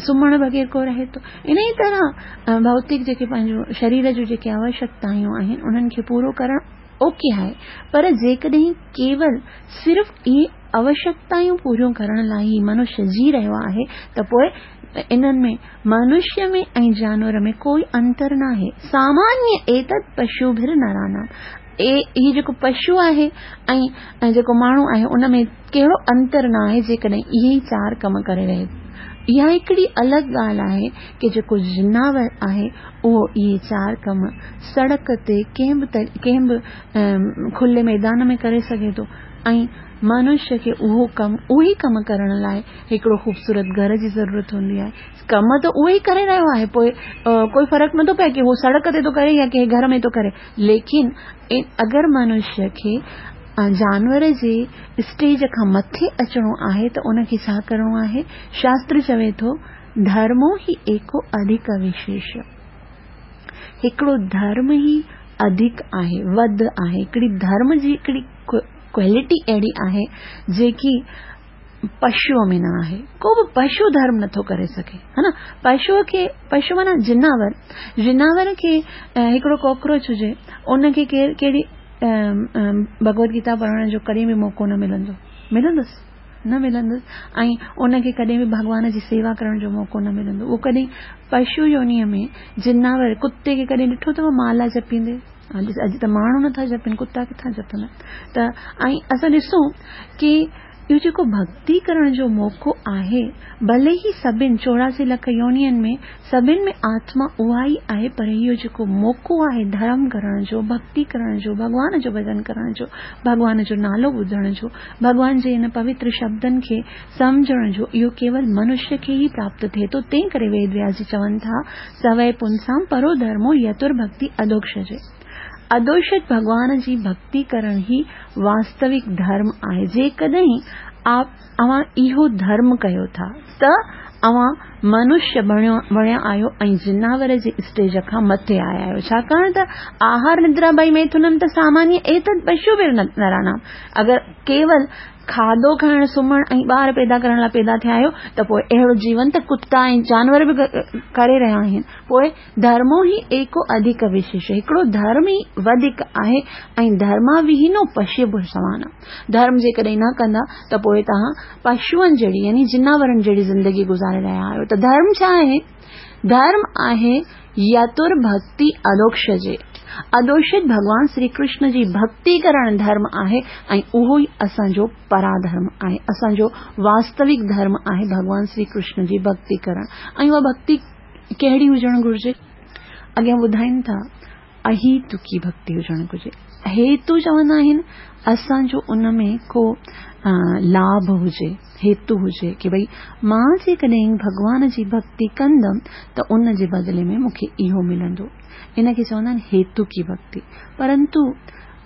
सुम्हण बग़ैर को रहे थो। इन ई तरह भौतिक जेके पंहिंजो शरीर जूं जेके आवश्यकतायूं आहिनि उन्हनि खे पूरो करणु ओके आहे, पर जेकॾहिं केवल सिर्फ़ु इहे आवश्यकतायूं पूरियूं करण लाइ ई मनुष्य जी रहियो आहे त पोइ इन्हनि में मनुष्य में ऐं जानवर में कोई अंतर न आहे। सामान्य एतत् पशुभिर नराणाम, ए हीउ जेको पशु आहे ऐं जेको माण्हू आहे उन में कहिड़ो अंतर न आहे जेकॾहिं इहे ई चारि कम करे रहे। इहा हिकिड़ी अलॻि ॻाल्हि आहे की जेको जिनावर आहे उहो इहे चारि कम सड़क ते कंहिं बि कंहिं बि खुले मैदान में करे सघे थो ऐं मनुष्य खे उहो कमु उहो ई कमु करण लाइ हिकिड़ो ख़ूबसूरत घर जी ज़रूरत हूंदी आहे। कम त उहो ई करे रहियो आहे, पोइ कोई फ़र्क़ु नथो पए की उहो सड़क ते थो करे या कंहिं घर में थो करे। लेकिन अगरि मनुष्य खे जानवर जे स्टेज खां मथे अचिणो आहे त उनखे छा करिणो आहे? शास्त्र चवे थो धर्मो ही एको अधिक विशेष। हिकिड़ो धर्म ई अधिक आहे, वध आहे। हिकिड़ी धर्म जी हिकिड़ी क्वालिटी अहिड़ी आहे जेकी पशुअ में न आहे। को बि पशु धर्म नथो करे सघे, हा न। पशुअ खे, पशु माना जिनावर, जिनावर खे हिकिड़ो कॉकरोच हुजे उनखे केरु कहिड़ी भगवत गीता पढ़ण जो कॾहिं बि मौक़ो न मिलंदो, मिलंदुसि न मिलंदुसि। ऐं उनखे कॾहिं बि भॻवान जी सेवा करण जो मौक़ो न मिलंदो। उहो कॾहिं पशु योनीअ में जिनावर कुते खे कॾहिं ॾिठो अथव माला जपींदे? अॼु त माण्हू नथा जपनि, कुता किथां जपंदा? त ऐं असां ॾिसूं की इहो जेको भक्ति करण जो मौक़ो आहे, भले ई सभिनि चौरासी लख योनियुनि में सभिनि में आत्मा उहा ई आहे, पर इहो जेको मौक़ो आहे धर्म करण जो, भक्ति करण जो, भॻवान जो भॼन करण जो, भॻवान जो नालो ॿुधण जो, भॻवान जे हिन पवित्र शब्दनि खे सम्झण जो, इहो केवल मनुष्य खे ई प्राप्त थिए थो। तंहिं करे वेद व्यास जी चवनि था सवै पुंसां परो धर्मो यतुर्भक्ति अदोक्षजे। अदोषित भॻवान जी भक्ति करण ई वास्तविक धर्म आहे। जेकॾहिं आप अव्हां इहो धर्म कयो था त अव्हां मनुष्य बणियो बणिया आहियो ऐं जिनावर जे स्टेज खां मथे आया आहियो। छाकाणि त आहार निद्रा भई मैथुनम त सामान्य एतत् पशुभिर् नराणाम। अगरि केवल खाधो खाइण, सुम्हणु ऐं ॿार पैदा करण लाइ पैदा थिया आहियो त पोइ अहिड़ो जीवन त कुता ऐं जानवर बि करे रहिया आहिनि। पोइ धर्मो ई एको अधिक विशेष, हिकिड़ो धर्म ई वधीक आहे ऐं धर्माविहीनो पशु समान। धर्म जेकॾहिं न कंदा त पोइ तव्हां पशुअनि जहिड़ी यानी जिनावरनि जहिड़ी ज़िंदगी गुज़ारे रहिया आहियो। त धर्म छा आहे? धर्म आहे यतुर्भक्ति अदोक्षजे। अदोषित भॻवान श्री कृष्ण जी भक्ति करण धर्म आहे ऐं उहो ई असांजो पराधर्म आहे, असांजो वास्तविक धर्म आहे भॻवान श्री कृष्ण जी भक्ति करण। ऐं उहा भक्ति कहिड़ी हुजणु घुरिजे? अॻियां ॿुधाइनि था अहितुकी भक्ति हुजणु घुरिजे। هيتو چوندا آهن اسان جو ان ۾ ڪو لاڀ هجي، هيتو هجي ڪه ڀئي مان جيڪڏهن ڀڳوان جي ڀڳتي ڪندم ته ان جي بدلي ۾ مون کي اهو ملندو. ان کي چوندا آهن هيتو ڪي ڀڳتي. پرنتو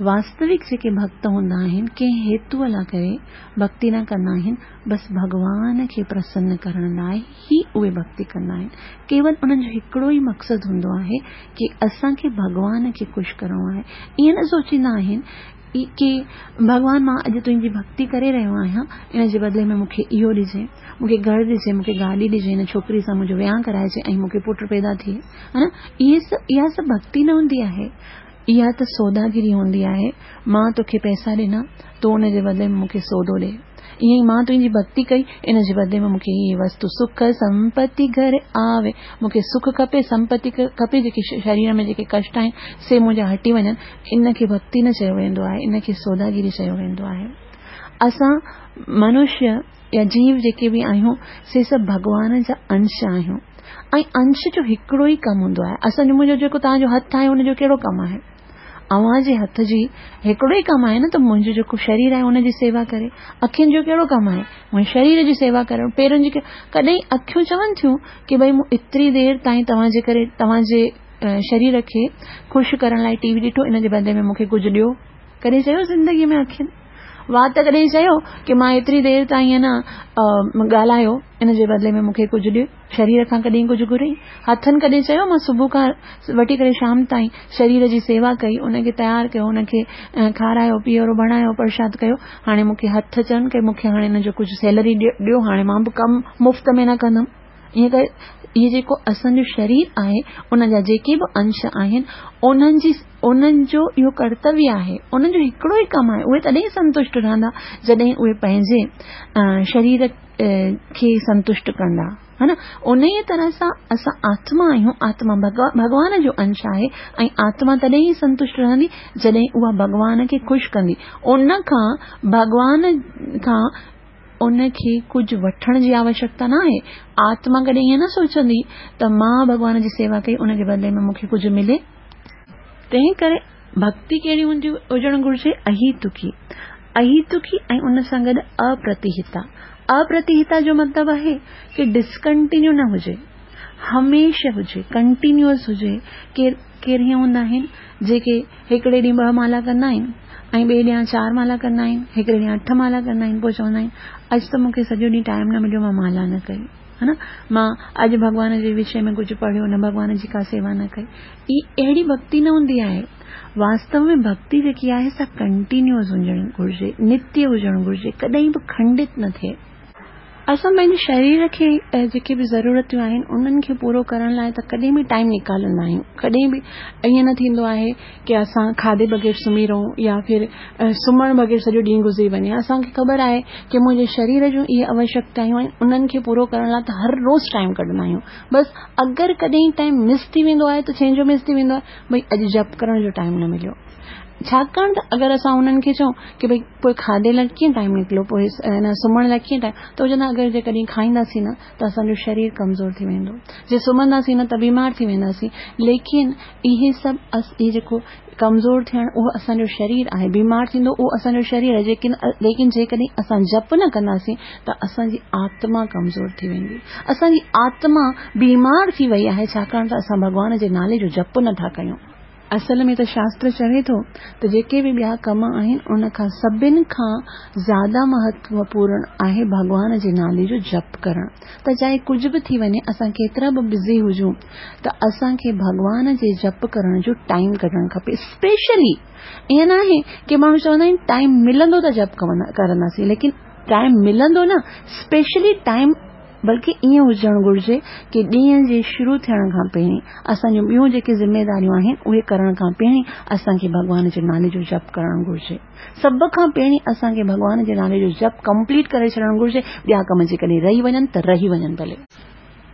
واستوڪ جيڪي ڀڳت هوندا آهن ڪنهن هيتوءَ لاءِ ڪري ڀڳتي نه ڪندا آهن، بس ڀڳوان کي پرسن ڪرڻ لاءِ ئي اهي ڀڳتي ڪندا آهن. ڪيول انهن جو هڪڙو ئي مقصد هوندو آهي ڪه اسان کي ڀڳوان کي خوش ڪرڻو آهي. ائين نه سوچيندا آهن ڪه ڀڳوان مان اڄ تنهنجي ڀڳتي ڪري رهيو آهيان، ان جي بدلي ۾ مون کي اهو ڏجي، مون کي گهر ڏجي، مون کي گاڏي ڏجي، هن ڇوڪري سان منهنجو وهانءُ ڪرائجي ۽ مون کي پٽ پيدا ٿئي. ها نه، اهي سڀ اها سڀ ڀڳتي نه هوندي آهي، اها ته سوداگيري هوندي آهي. مان توکي پئسا ڏنا، تون ان جي بدلي ۾ مون کي سودو ڏي. ائين ئي مان تنهنجي ڀڳتي ڪئي، ان جي بدلي ۾ مون کي هيءَ وستو سک سمپتي گهر آوي، مون کي سک کپي، سمپتي کپي، جيڪي شرير ۾ جيڪي ڪشٽ آهن سي منهنجا هٽي وڃن. ان کي ڀڳتي نه چيو ويندو آهي، ان کي سوداگيري چيو ويندو آهي. اسان منشيه يا جيو جيڪي به آهيون سي سڀ ڀڳوان جا انش آهيون ۽ انش جو هڪڙو ئي ڪم هوندو آهي. اسان جو منهنجو جيڪو توهان جو هٿ آهي ان جو ڪهڙو ڪم آهي؟ اوهان جي هٿ جي هڪڙو ئي ڪم آهي نه ته منهنجو جيڪو شرير آهي ان جي سيوا ڪري. اکين جو ڪهڙو ڪم آهي؟ منهنجي شرير جي سيوا ڪرڻ. پيرن جي ڪڏهن اکيون چون ٿيون ڪه ڀئي مون ايتري دير تائين توهان جي ڪري توهان جي شرير کي خوش ڪرڻ لاءِ ٽي وي ڏٺو، ان جي بدلي ۾ مون کي ڪجهه ڏيو. ڪڏهن چيو زندگيءَ ۾ اکين؟ وات ڪڏهن چيو ڪه مان ايتري دير تائين نه ڳالهايو، ان جي بدلي ۾ مون کي ڪجهه ڏيو؟ شرير کان ڪڏهن ڪجهه گهرئي؟ هٿن ڪڏهن چيو مان صبح کان وٺي ڪري شام تائين شرير جي سيوا ڪئي، ان کي تيار ڪيو، ان کي کارايو پيئارو بڻايو، پرشاد ڪيو، هاڻي مون کي هٿ چون ڪه مون کي هاڻي هن جو ڪجهه سيلري ڏيو، هاڻي مان به ڪم مفت ۾ نه ڪندم. ائين ڪري اهو جيڪو اسان جو شرير آهي ان جا جيڪي به انش آهن انهن جي انهن جو اهو ڪرتويه آهي، انهن جو هڪڙو ئي ڪم آهي. اهي تڏهن سنتشٽ رهندا جڏهن اهي پنهنجي شرير کي سنتشٽ ڪندا، ها نه. ان ئي طرح سان اسان آتما آهيون، آتما ڀڳوان جو انش آهي ۽ آتما تڏهن ئي سنتشٽ رهندي جڏهن اها ڀڳوان کي خوش ڪندي. ان کان ڀڳوان کان ان کي ڪجهه وٺڻ جي آوشيڪتا نه آهي. آتما ڪڏهن ائين نه سوچندي ته مان ڀڳوان جي سيوا ڪئي ان جي بدلي ۾ مون کي ڪجهه ملي. تنهن ڪري ڀڳتي ڪهڙي هوندي هجڻ گهرجي؟ اهيتڪي. اهيتڪي ۽ ان سان گڏ اپرتيهتا. اپرتيهتا جو مطلب آهي ڪه ڊسڪنٽينيو نه هجي، هميشه هجي، ڪنٽينيوئس هجي. ڪير ڪير هيئن هوندا آهن جيڪي هڪڙي ڏينهن ٻه مالا ڪندا آهن ۽ ٻئي ڏينهن چار مالا ڪندا آهن، هڪڙي ڏينهن اٺ مالا ڪندا آهن، پوءِ چوندا آهن اڄ ته مون کي سڄو ڏينهن ٽائيم نه مليو، مان مالا نه ڪئي، ها نه، مان اڄ ڀڳوان جي وشي ۾ ڪجهه پڙهيو نه، ڀڳوان جي ڪا سيوا نه ڪئي. اها اهڙي ڀڳتي نه هوندي آهي. واستو ۾ ڀڳتي جيڪي آهي سا ڪنٽينيوئس هجڻ گهرجي، نتيه هجڻ گهرجي، ڪڏهن به کنڊت نه ٿئي. اسان پنهنجي شرير کي جيڪي به ضرورتون آهن انهن کي پورو ڪرڻ لاءِ ته ڪڏهن به ٽائيم نڪالندا آهيون. ڪڏهن به ائين نه ٿيندو آهي ڪه اسان کاڌي بغير سمهي رهون يا ڦر سمهڻ بغير سڄو ڏينهن گذري وڃي. اسان کي خبر آهي ڪه منهنجي شرير جون اهي آوشيڪتائون آهن، انهن کي پورو ڪرڻ لاءِ ته هر روز ٽائيم ڪڍندا آهيون. بس اگر ڪڏهن ٽائيم مس ٿي ويندو آهي ته ڇنهن جو مس ٿي ويندو آهي، ڀئي اڄ جپ ڪرڻ جو ٽائيم نه مليو. ڇاڪاڻ ته اگر اسان انهن کي چئون ڪه ڀئي پوءِ کاڌي لاءِ ڪيئن ٽائيم نڪلو، پوءِ نه سمهڻ لاءِ ڪيئن ٽائيم، ته چوندا اگر جيڪڏهن کائينداسين نه ته اسان جو شرير ڪمزور ٿي ويندو، جي سمهنداسين نه ته بيمار ٿي وينداسين. ليڪن اهي سڀ اهي جيڪو ڪمزور ٿيڻ اهو اسان جو شرير آهي، بيمار ٿيندو اهو اسان جو شرير آهي. ليڪن جيڪڏهن اسان جپ نه ڪنداسين ته اسان جي آتما ڪمزور ٿي ويندي. اسان جي آتما بيمار ٿي وئي آهي ڇاڪاڻ ته اسان ڀڳوان جي نالي جو جپ نٿا ڪيون. اصل ۾ ته شاستر چوي ٿو ته جيڪي به ٻيا ڪم آهن ان کان سڀني کان زياده مهتوپورڻ آهي ڀڳوان جي نالي جو جپ ڪرڻ. ته چاهي ڪجهه به ٿي وڃي، اسان ڪيترا به بزي هجون ته اسان کي ڀڳوان جي جپ ڪرڻ جو ٽائيم ڪڍڻ کپي. اسپيشلي ائين نه آهي ڪه ماڻهو چوندا آهن ٽائيم ملندو ته جپ ڪرنداسين، ليڪن ٽائيم ملندو نه، اسپيشلي ٽائيم بلڪه ائين هجڻ گهرجي ڪه ڏينهن جي شروع ٿيڻ کان پهرين اسان جون ٻيون جيڪي ذميداريون آهن اهي ڪرڻ کان پهرين اسان کي ڀڳوان جي نالي جو جپ ڪرڻ گهرجي. سڀ کان پهرين اسان کي ڀڳوان جي نالي جو جپ ڪمپليٽ ڪري ڇڏڻ گهرجي. ٻيا ڪم جيڪڏهن رهي وڃن ته رهي وڃن ڀلي،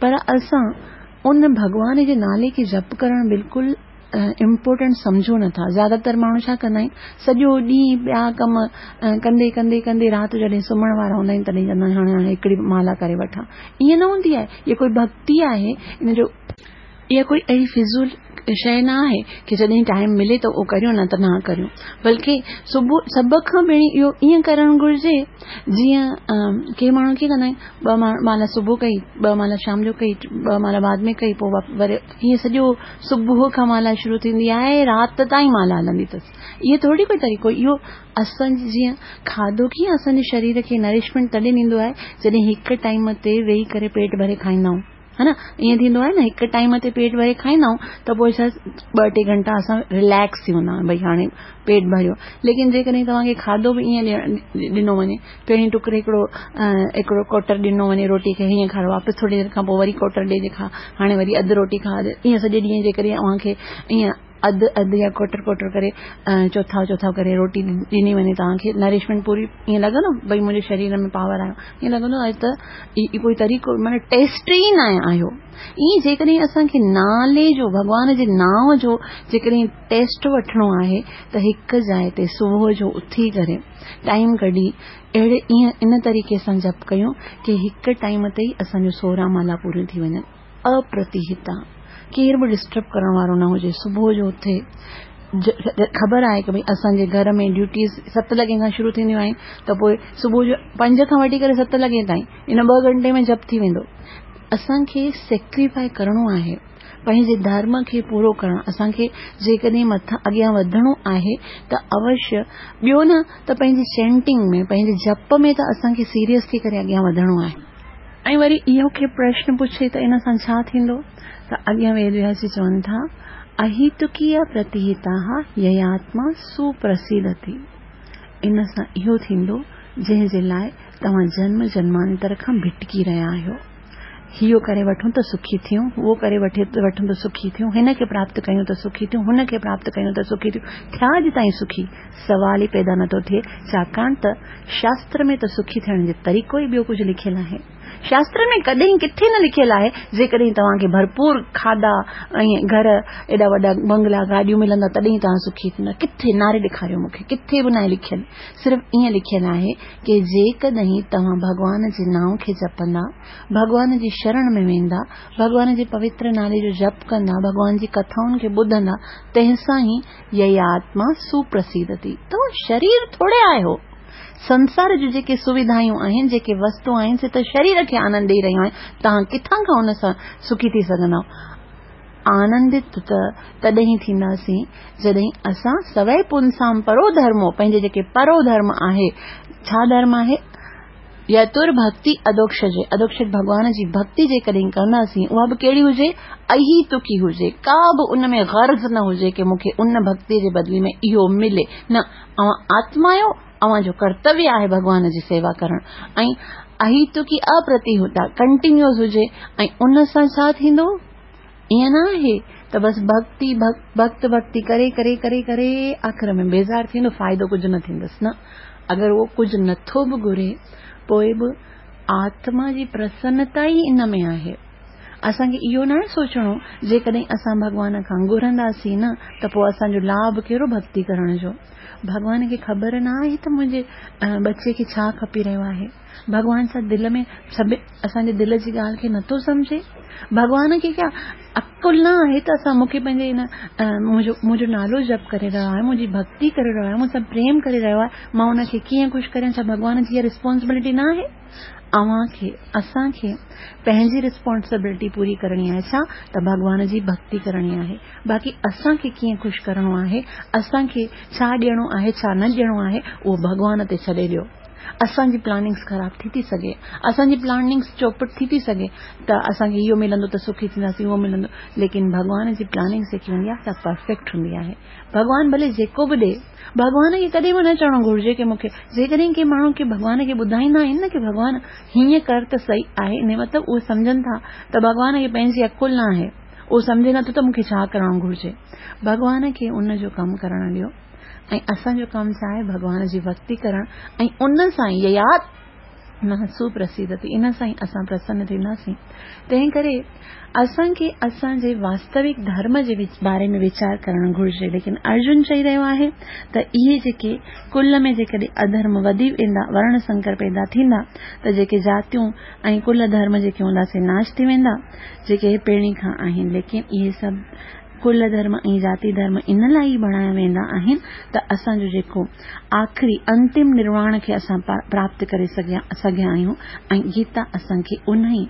پر اسان ان ڀڳوان جي نالي کي جپ ڪرڻ بلڪل امپورٽنٽ سمجهو نٿا. زياده تر ماڻهو ڇا ڪندا آهن، سڄو ڏينهن ٻيا ڪم ڪندي ڪندي ڪندي رات جو جڏهن سمهڻ وارا هوندا آهن تڏهن چوندا آهن هاڻي هاڻي هڪڙي مالا ڪري وٺان. ائين نه هوندي آهي. اها ڪوئي ڀڳتي آهي؟ ان جو اها ڪوئي اهڙي فضول شيءِ نه آهي ڪه جڏهن ٽائيم ملي ته اهو ڪريون، نه ته نه ڪريون. بلڪه صبح سڀ کان پهرين اهو ائين ڪرڻ گهرجي جيئن ڪي ماڻهو ڪيئن ڪندا آهن، ٻه مالا صبح ڪئي، ٻه مالا شام جو ڪئي، ٻه مالا بعد ۾ ڪئي، پوءِ وري ائين سڄو صبح کان مالا شروع ٿيندي آهي، رات تائين مالا هلندي اٿس. اهو ٿوري ڪوئي طريقو. اهو اسان جيئن کاڌو ڪيئن اسان جي شرير کي نرشمينٽ تڏهن ڏيندو آهي جڏهن هڪ ٽائيم تي ويهي ڪري پيٽ ڀري کائيندا آهيون، ها نه؟ ائين ٿيندو آهي نه، هڪ ٽائيم تي پيٽ ڀري کائيندا آهيون ته پوءِ ڇا ٻه ٽي گهنٽا اسان رليڪس ٿي ويندا آهيون، ڀئي هاڻي پيٽ ڀريو. ليڪن جيڪڏهن توهان کي کاڌو به ائين ڏنو وڃي، پهرين ٽڪر هڪڙو هڪڙو ڪوٽر ڏنو وڃي روٽي کي، هيئن کارو، واپس ٿوري دير کان پوءِ وري ڪوٽر ڏئي کا، هاڻي وري اڌ روٽي کا، ائين سڄي ڏينهن جيڪڏهن اوهان کي ائين اڌ اڌ يا ڪوٽر ڪوٽر ڪري چوٿا چوٿا ڪري روٽي ڏني وڃي توهان کي، نرشمينٽ پوري، ائين لڳندو ڀئي منهنجي شرير ۾ پاور آيو؟ ائين لڳندو آهي ته ڪوئي طريقو معنيٰ ٽيسٽ ئي نه آيو. ائين جيڪڏهن اسان کي نالي جو، ڀڳوان جي نانءُ جو جيڪڏهن ٽيسٽ وٺڻو آهي ته هڪ جاءِ تي صبح جو اٿي ڪري ٽائيم ڪڍي اهڙي ائين ان طريقي سان جپ ڪيون ڪه هڪ ٽائيم تي ئي اسان جو سورهن مالا پوريون ٿي وڃن. اپرتيهتا، ڪير به ڊسٽرب ڪرڻ وارو نه هجي. صبح جو اٿي، خبر آهي ڪه ڀئي اسان جي گهر ۾ ڊيوٽيز ست لڳي کان شروع ٿينديون آهن، ته پوءِ صبح جو پنج کان وٺي ڪري ست لڳي تائين ان ٻه گهنٽي ۾ جپ ٿي ويندو. اسان کي سيڪريفائي ڪرڻو آهي پنهنجي ڌرم کي پورو ڪرڻ. اسان کي جيڪڏهن مٿان اڳيان وڌڻو آهي ته اوشيه ٻيو نه ته پنهنجي چينٽنگ ۾، پنهنجي جپ ۾ ته اسان کي سيريس ٿي ڪري اڳيان وڌڻو آهي. ۽ وري اهو کي پرشن پڇي ته ان سان ڇا ٿيندو؟ ته اڳيان ويد وياس جي چون ٿا، اهيتڪي پرتيهتا يياتما سپرسيدتي. ان سان اهو ٿيندو جنهن جي لاءِ توهان جنم جنمانتر کان ڀٽڪي رهيا آهيو. اهو ڪري وٺون ته سکي ٿيون، اهو ڪري وٺي وٺون ته سکي ٿيون، هن کي پراپت ڪيون ته سکي ٿيون، هن کي پراپت ڪيون ته سکي ٿيون. ٿيا اڄ تائين سکي؟ سوال ئي پيدا نٿو ٿئي، ڇاڪاڻ ته شاستر ۾ ته سکي ٿيڻ جو طريقو ئي ٻيو ڪجهه لکيل آهي. شاستر ۾ ڪڏهن ڪٿي نه لکيل آهي جيڪڏهن توهان کي ڀرپور کاڌا ۽ گهر، ايڏا وڏا بنگلا، گاڏيون ملندا تڏهن توهان سکي ٿيندا. ڪٿي نعري ڏيکاريو مون کي، ڪٿي به ناهي لکيل. صرف ائين لکيل آهي ڪه جيڪڏهن توهان ڀڳوان جي نانءُ کي جپندا، ڀڳوان جي شرڻ ۾ ويندا، ڀڳوان جي پوتر نالي جو جپ ڪندا، ڀڳوان جي ڪٿائن کي ٻڌندا، تنهن سان ئي يياتما سپرسيدتي. توهان شرير ٿوري آهيو. سنسار جون جيڪي سوڌايون آهن، جيڪي وستو آهن، سي ته شرير کي آنند ڏيئي رهيون آهن. توهان ڪٿان کان ان سان سکي ٿي سگهندا؟ آنندت ته تڏهن ٿينداسين جڏهن اسان سوئي پنسام پرو ڌرمو، پنهنجي جيڪي پرو ڌرم آهي، ڇا ڌرم آهي؟ يتر ڀڪتي اڌوڪشجي، اڌوڪشج ڀڳوان جي ڀڪتي جيڪڏهن ڪنداسين، اها به ڪهڙي هجي؟ اهيتڪي هجي، ڪا به ان ۾ غرض نه هجي ڪه مون کي ان ڀڪتي جي بدلي ۾ اهو ملي. نه، اوهان آتما آهيو، اوهان جو ڪرتويه آهي ڀڳوان جي سيوا ڪرڻ. ۽ اهيتڪي اپرتيهتا ڪنٽينيوئس هجي. ۽ ان سان ڇا ٿيندو؟ ائين نه آهي ته بس ڀڪتي ڀڪت ڀڪتي ڪري ڪري ڪري ڪري آخر ۾ بيزار ٿيندو، فائدو ڪجهه نه ٿيندس. نه، اگر اهو ڪجهه نٿو به گهري پوءِ به آتما جي پرسنتا ئي ان ۾ آهي. اسان کي اهو نه سوچڻو جيڪڏهن اسان ڀڳوان کان گهرنداسين نه ته پوءِ اسان جو لاڀ ڪهڙو ڀڪتي ڪرڻ جو؟ ڀڳوان کي خبر نه آهي ته منهنجي ٻچي کي ڇا کپي رهيو آهي. ڀڳوان ڇا دل ۾ سڀ اسان جي دل جي ڳالهه کي نٿو سمجهي؟ ڀڳوان کي ڪيا عقل نه آهي ته اسان مون کي پنهنجي هن منهنجو منهنجو نالو جپ ڪري رهيو آهي، منهنجي ڀڪتي ڪري رهيو آهي، مون سان پريم ڪري رهيو آهي، مان ان کي ڪيئن خوش ڪريان؟ ڇا ڀڳوان جي اها ريسپانسبلٽي نه آهي؟ اوهان کي، اسان کي پنهنجي ريسپانسبلٽي پوري ڪرڻي آهي. ڇا ته ڀڳوان جي ڀڪتي ڪرڻي آهي. باقي اسان کي ڪيئن خوش ڪرڻو آهي، اسان کي ڇا ڏيڻو آهي، ڇا نه ڏيڻو آهي، اهو ڀڳوان تي ڇڏي ڏيو. اسان جي پلاننگس خراب ٿي ٿي سگهي، اسان جي پلاننگس چوپٽ ٿي ٿي سگهي ته اسان کي اهو ملندو ته سکي ٿينداسين، اهو ملندو، ليڪن ڀڳوان جي پلاننگس جيڪي هوندي آهي سا پرفيڪٽ هوندي آهي. ڀڳوان ڀلي جيڪو به ڏئي، ڀڳوان کي ڪڏهن به نه چوڻو گهرجي ڪه مون کي، جيڪڏهن ڪنهن ماڻهو کي ڀڳوان کي ٻڌائيندا آهن نه ڪه ڀڳوان هيئن ڪر ته صحيح آهي، ان مطلب اهي سمجهن ٿا ته ڀڳوان کي پنهنجي عقل نه آهي، اهو سمجهي نٿو ته مون کي ڇا ڪرڻو گهرجي. ڀڳوان کي ان جو ڪم ڪرڻ ڏيو. ۽ اسان جو ڪم ڇا آهي؟ ڀڳوان جي ڀڪتي ڪرڻ. ۽ ان سان ييات من سپرسيدتي، ان سان ئي اسان پرسن ٿينداسين. تنهن ڪري اسان کي اسان جي واستوڪ ڌرم جي باري ۾ ويچار ڪرڻ گهرجي. ليڪن ارجن چئي رهيو آهي ته اهي جيڪي ڪل ۾ جيڪڏهن اڌرم وڌي ويندا، ورڻ سنڪر پيدا ٿيندا، ته جيڪي جاتيون ۽ ڪل ڌرم جيڪي هوندا سي ناش ٿي ويندا، جيڪي پهرين کان آهن. ليڪن اهي سڀ ڪل ڌرم ۽ جاتي ڌرم ان لاءِ ئي بڻايا ويندا آهن ته اسان جو جيڪو آخري انتم نرواڻ کي اسان پراپت ڪري سگهيا آهيون، ۽ گيتا اسان کي ان ئي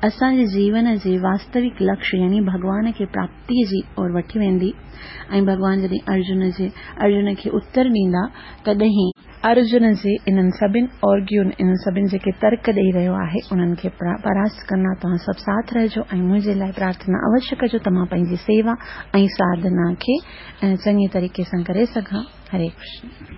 اسان جي جيون جي واستوڪ لڪشيه يعني ڀڳوان کي پراپتيءَ جي اور وٺي ويندي. ۽ ڀڳوان جڏهن ارجن جي ارجن کي اتر ڏيندا، تڏهن ارجن جي انهن سڀني آرگيون، انهن سڀني جيڪي ترڪ ڏيئي رهيو آهي، انهن کي پراست ڪندا. توهان سڀ ساٿ رهجو ۽ منهنجي لاءِ پرارٿنا اوشيه ڪجو ته مان پنهنجي سيوا ۽ ساڌنا کي چڱي طريقي سان ڪري سگهان. هري ڪرشن.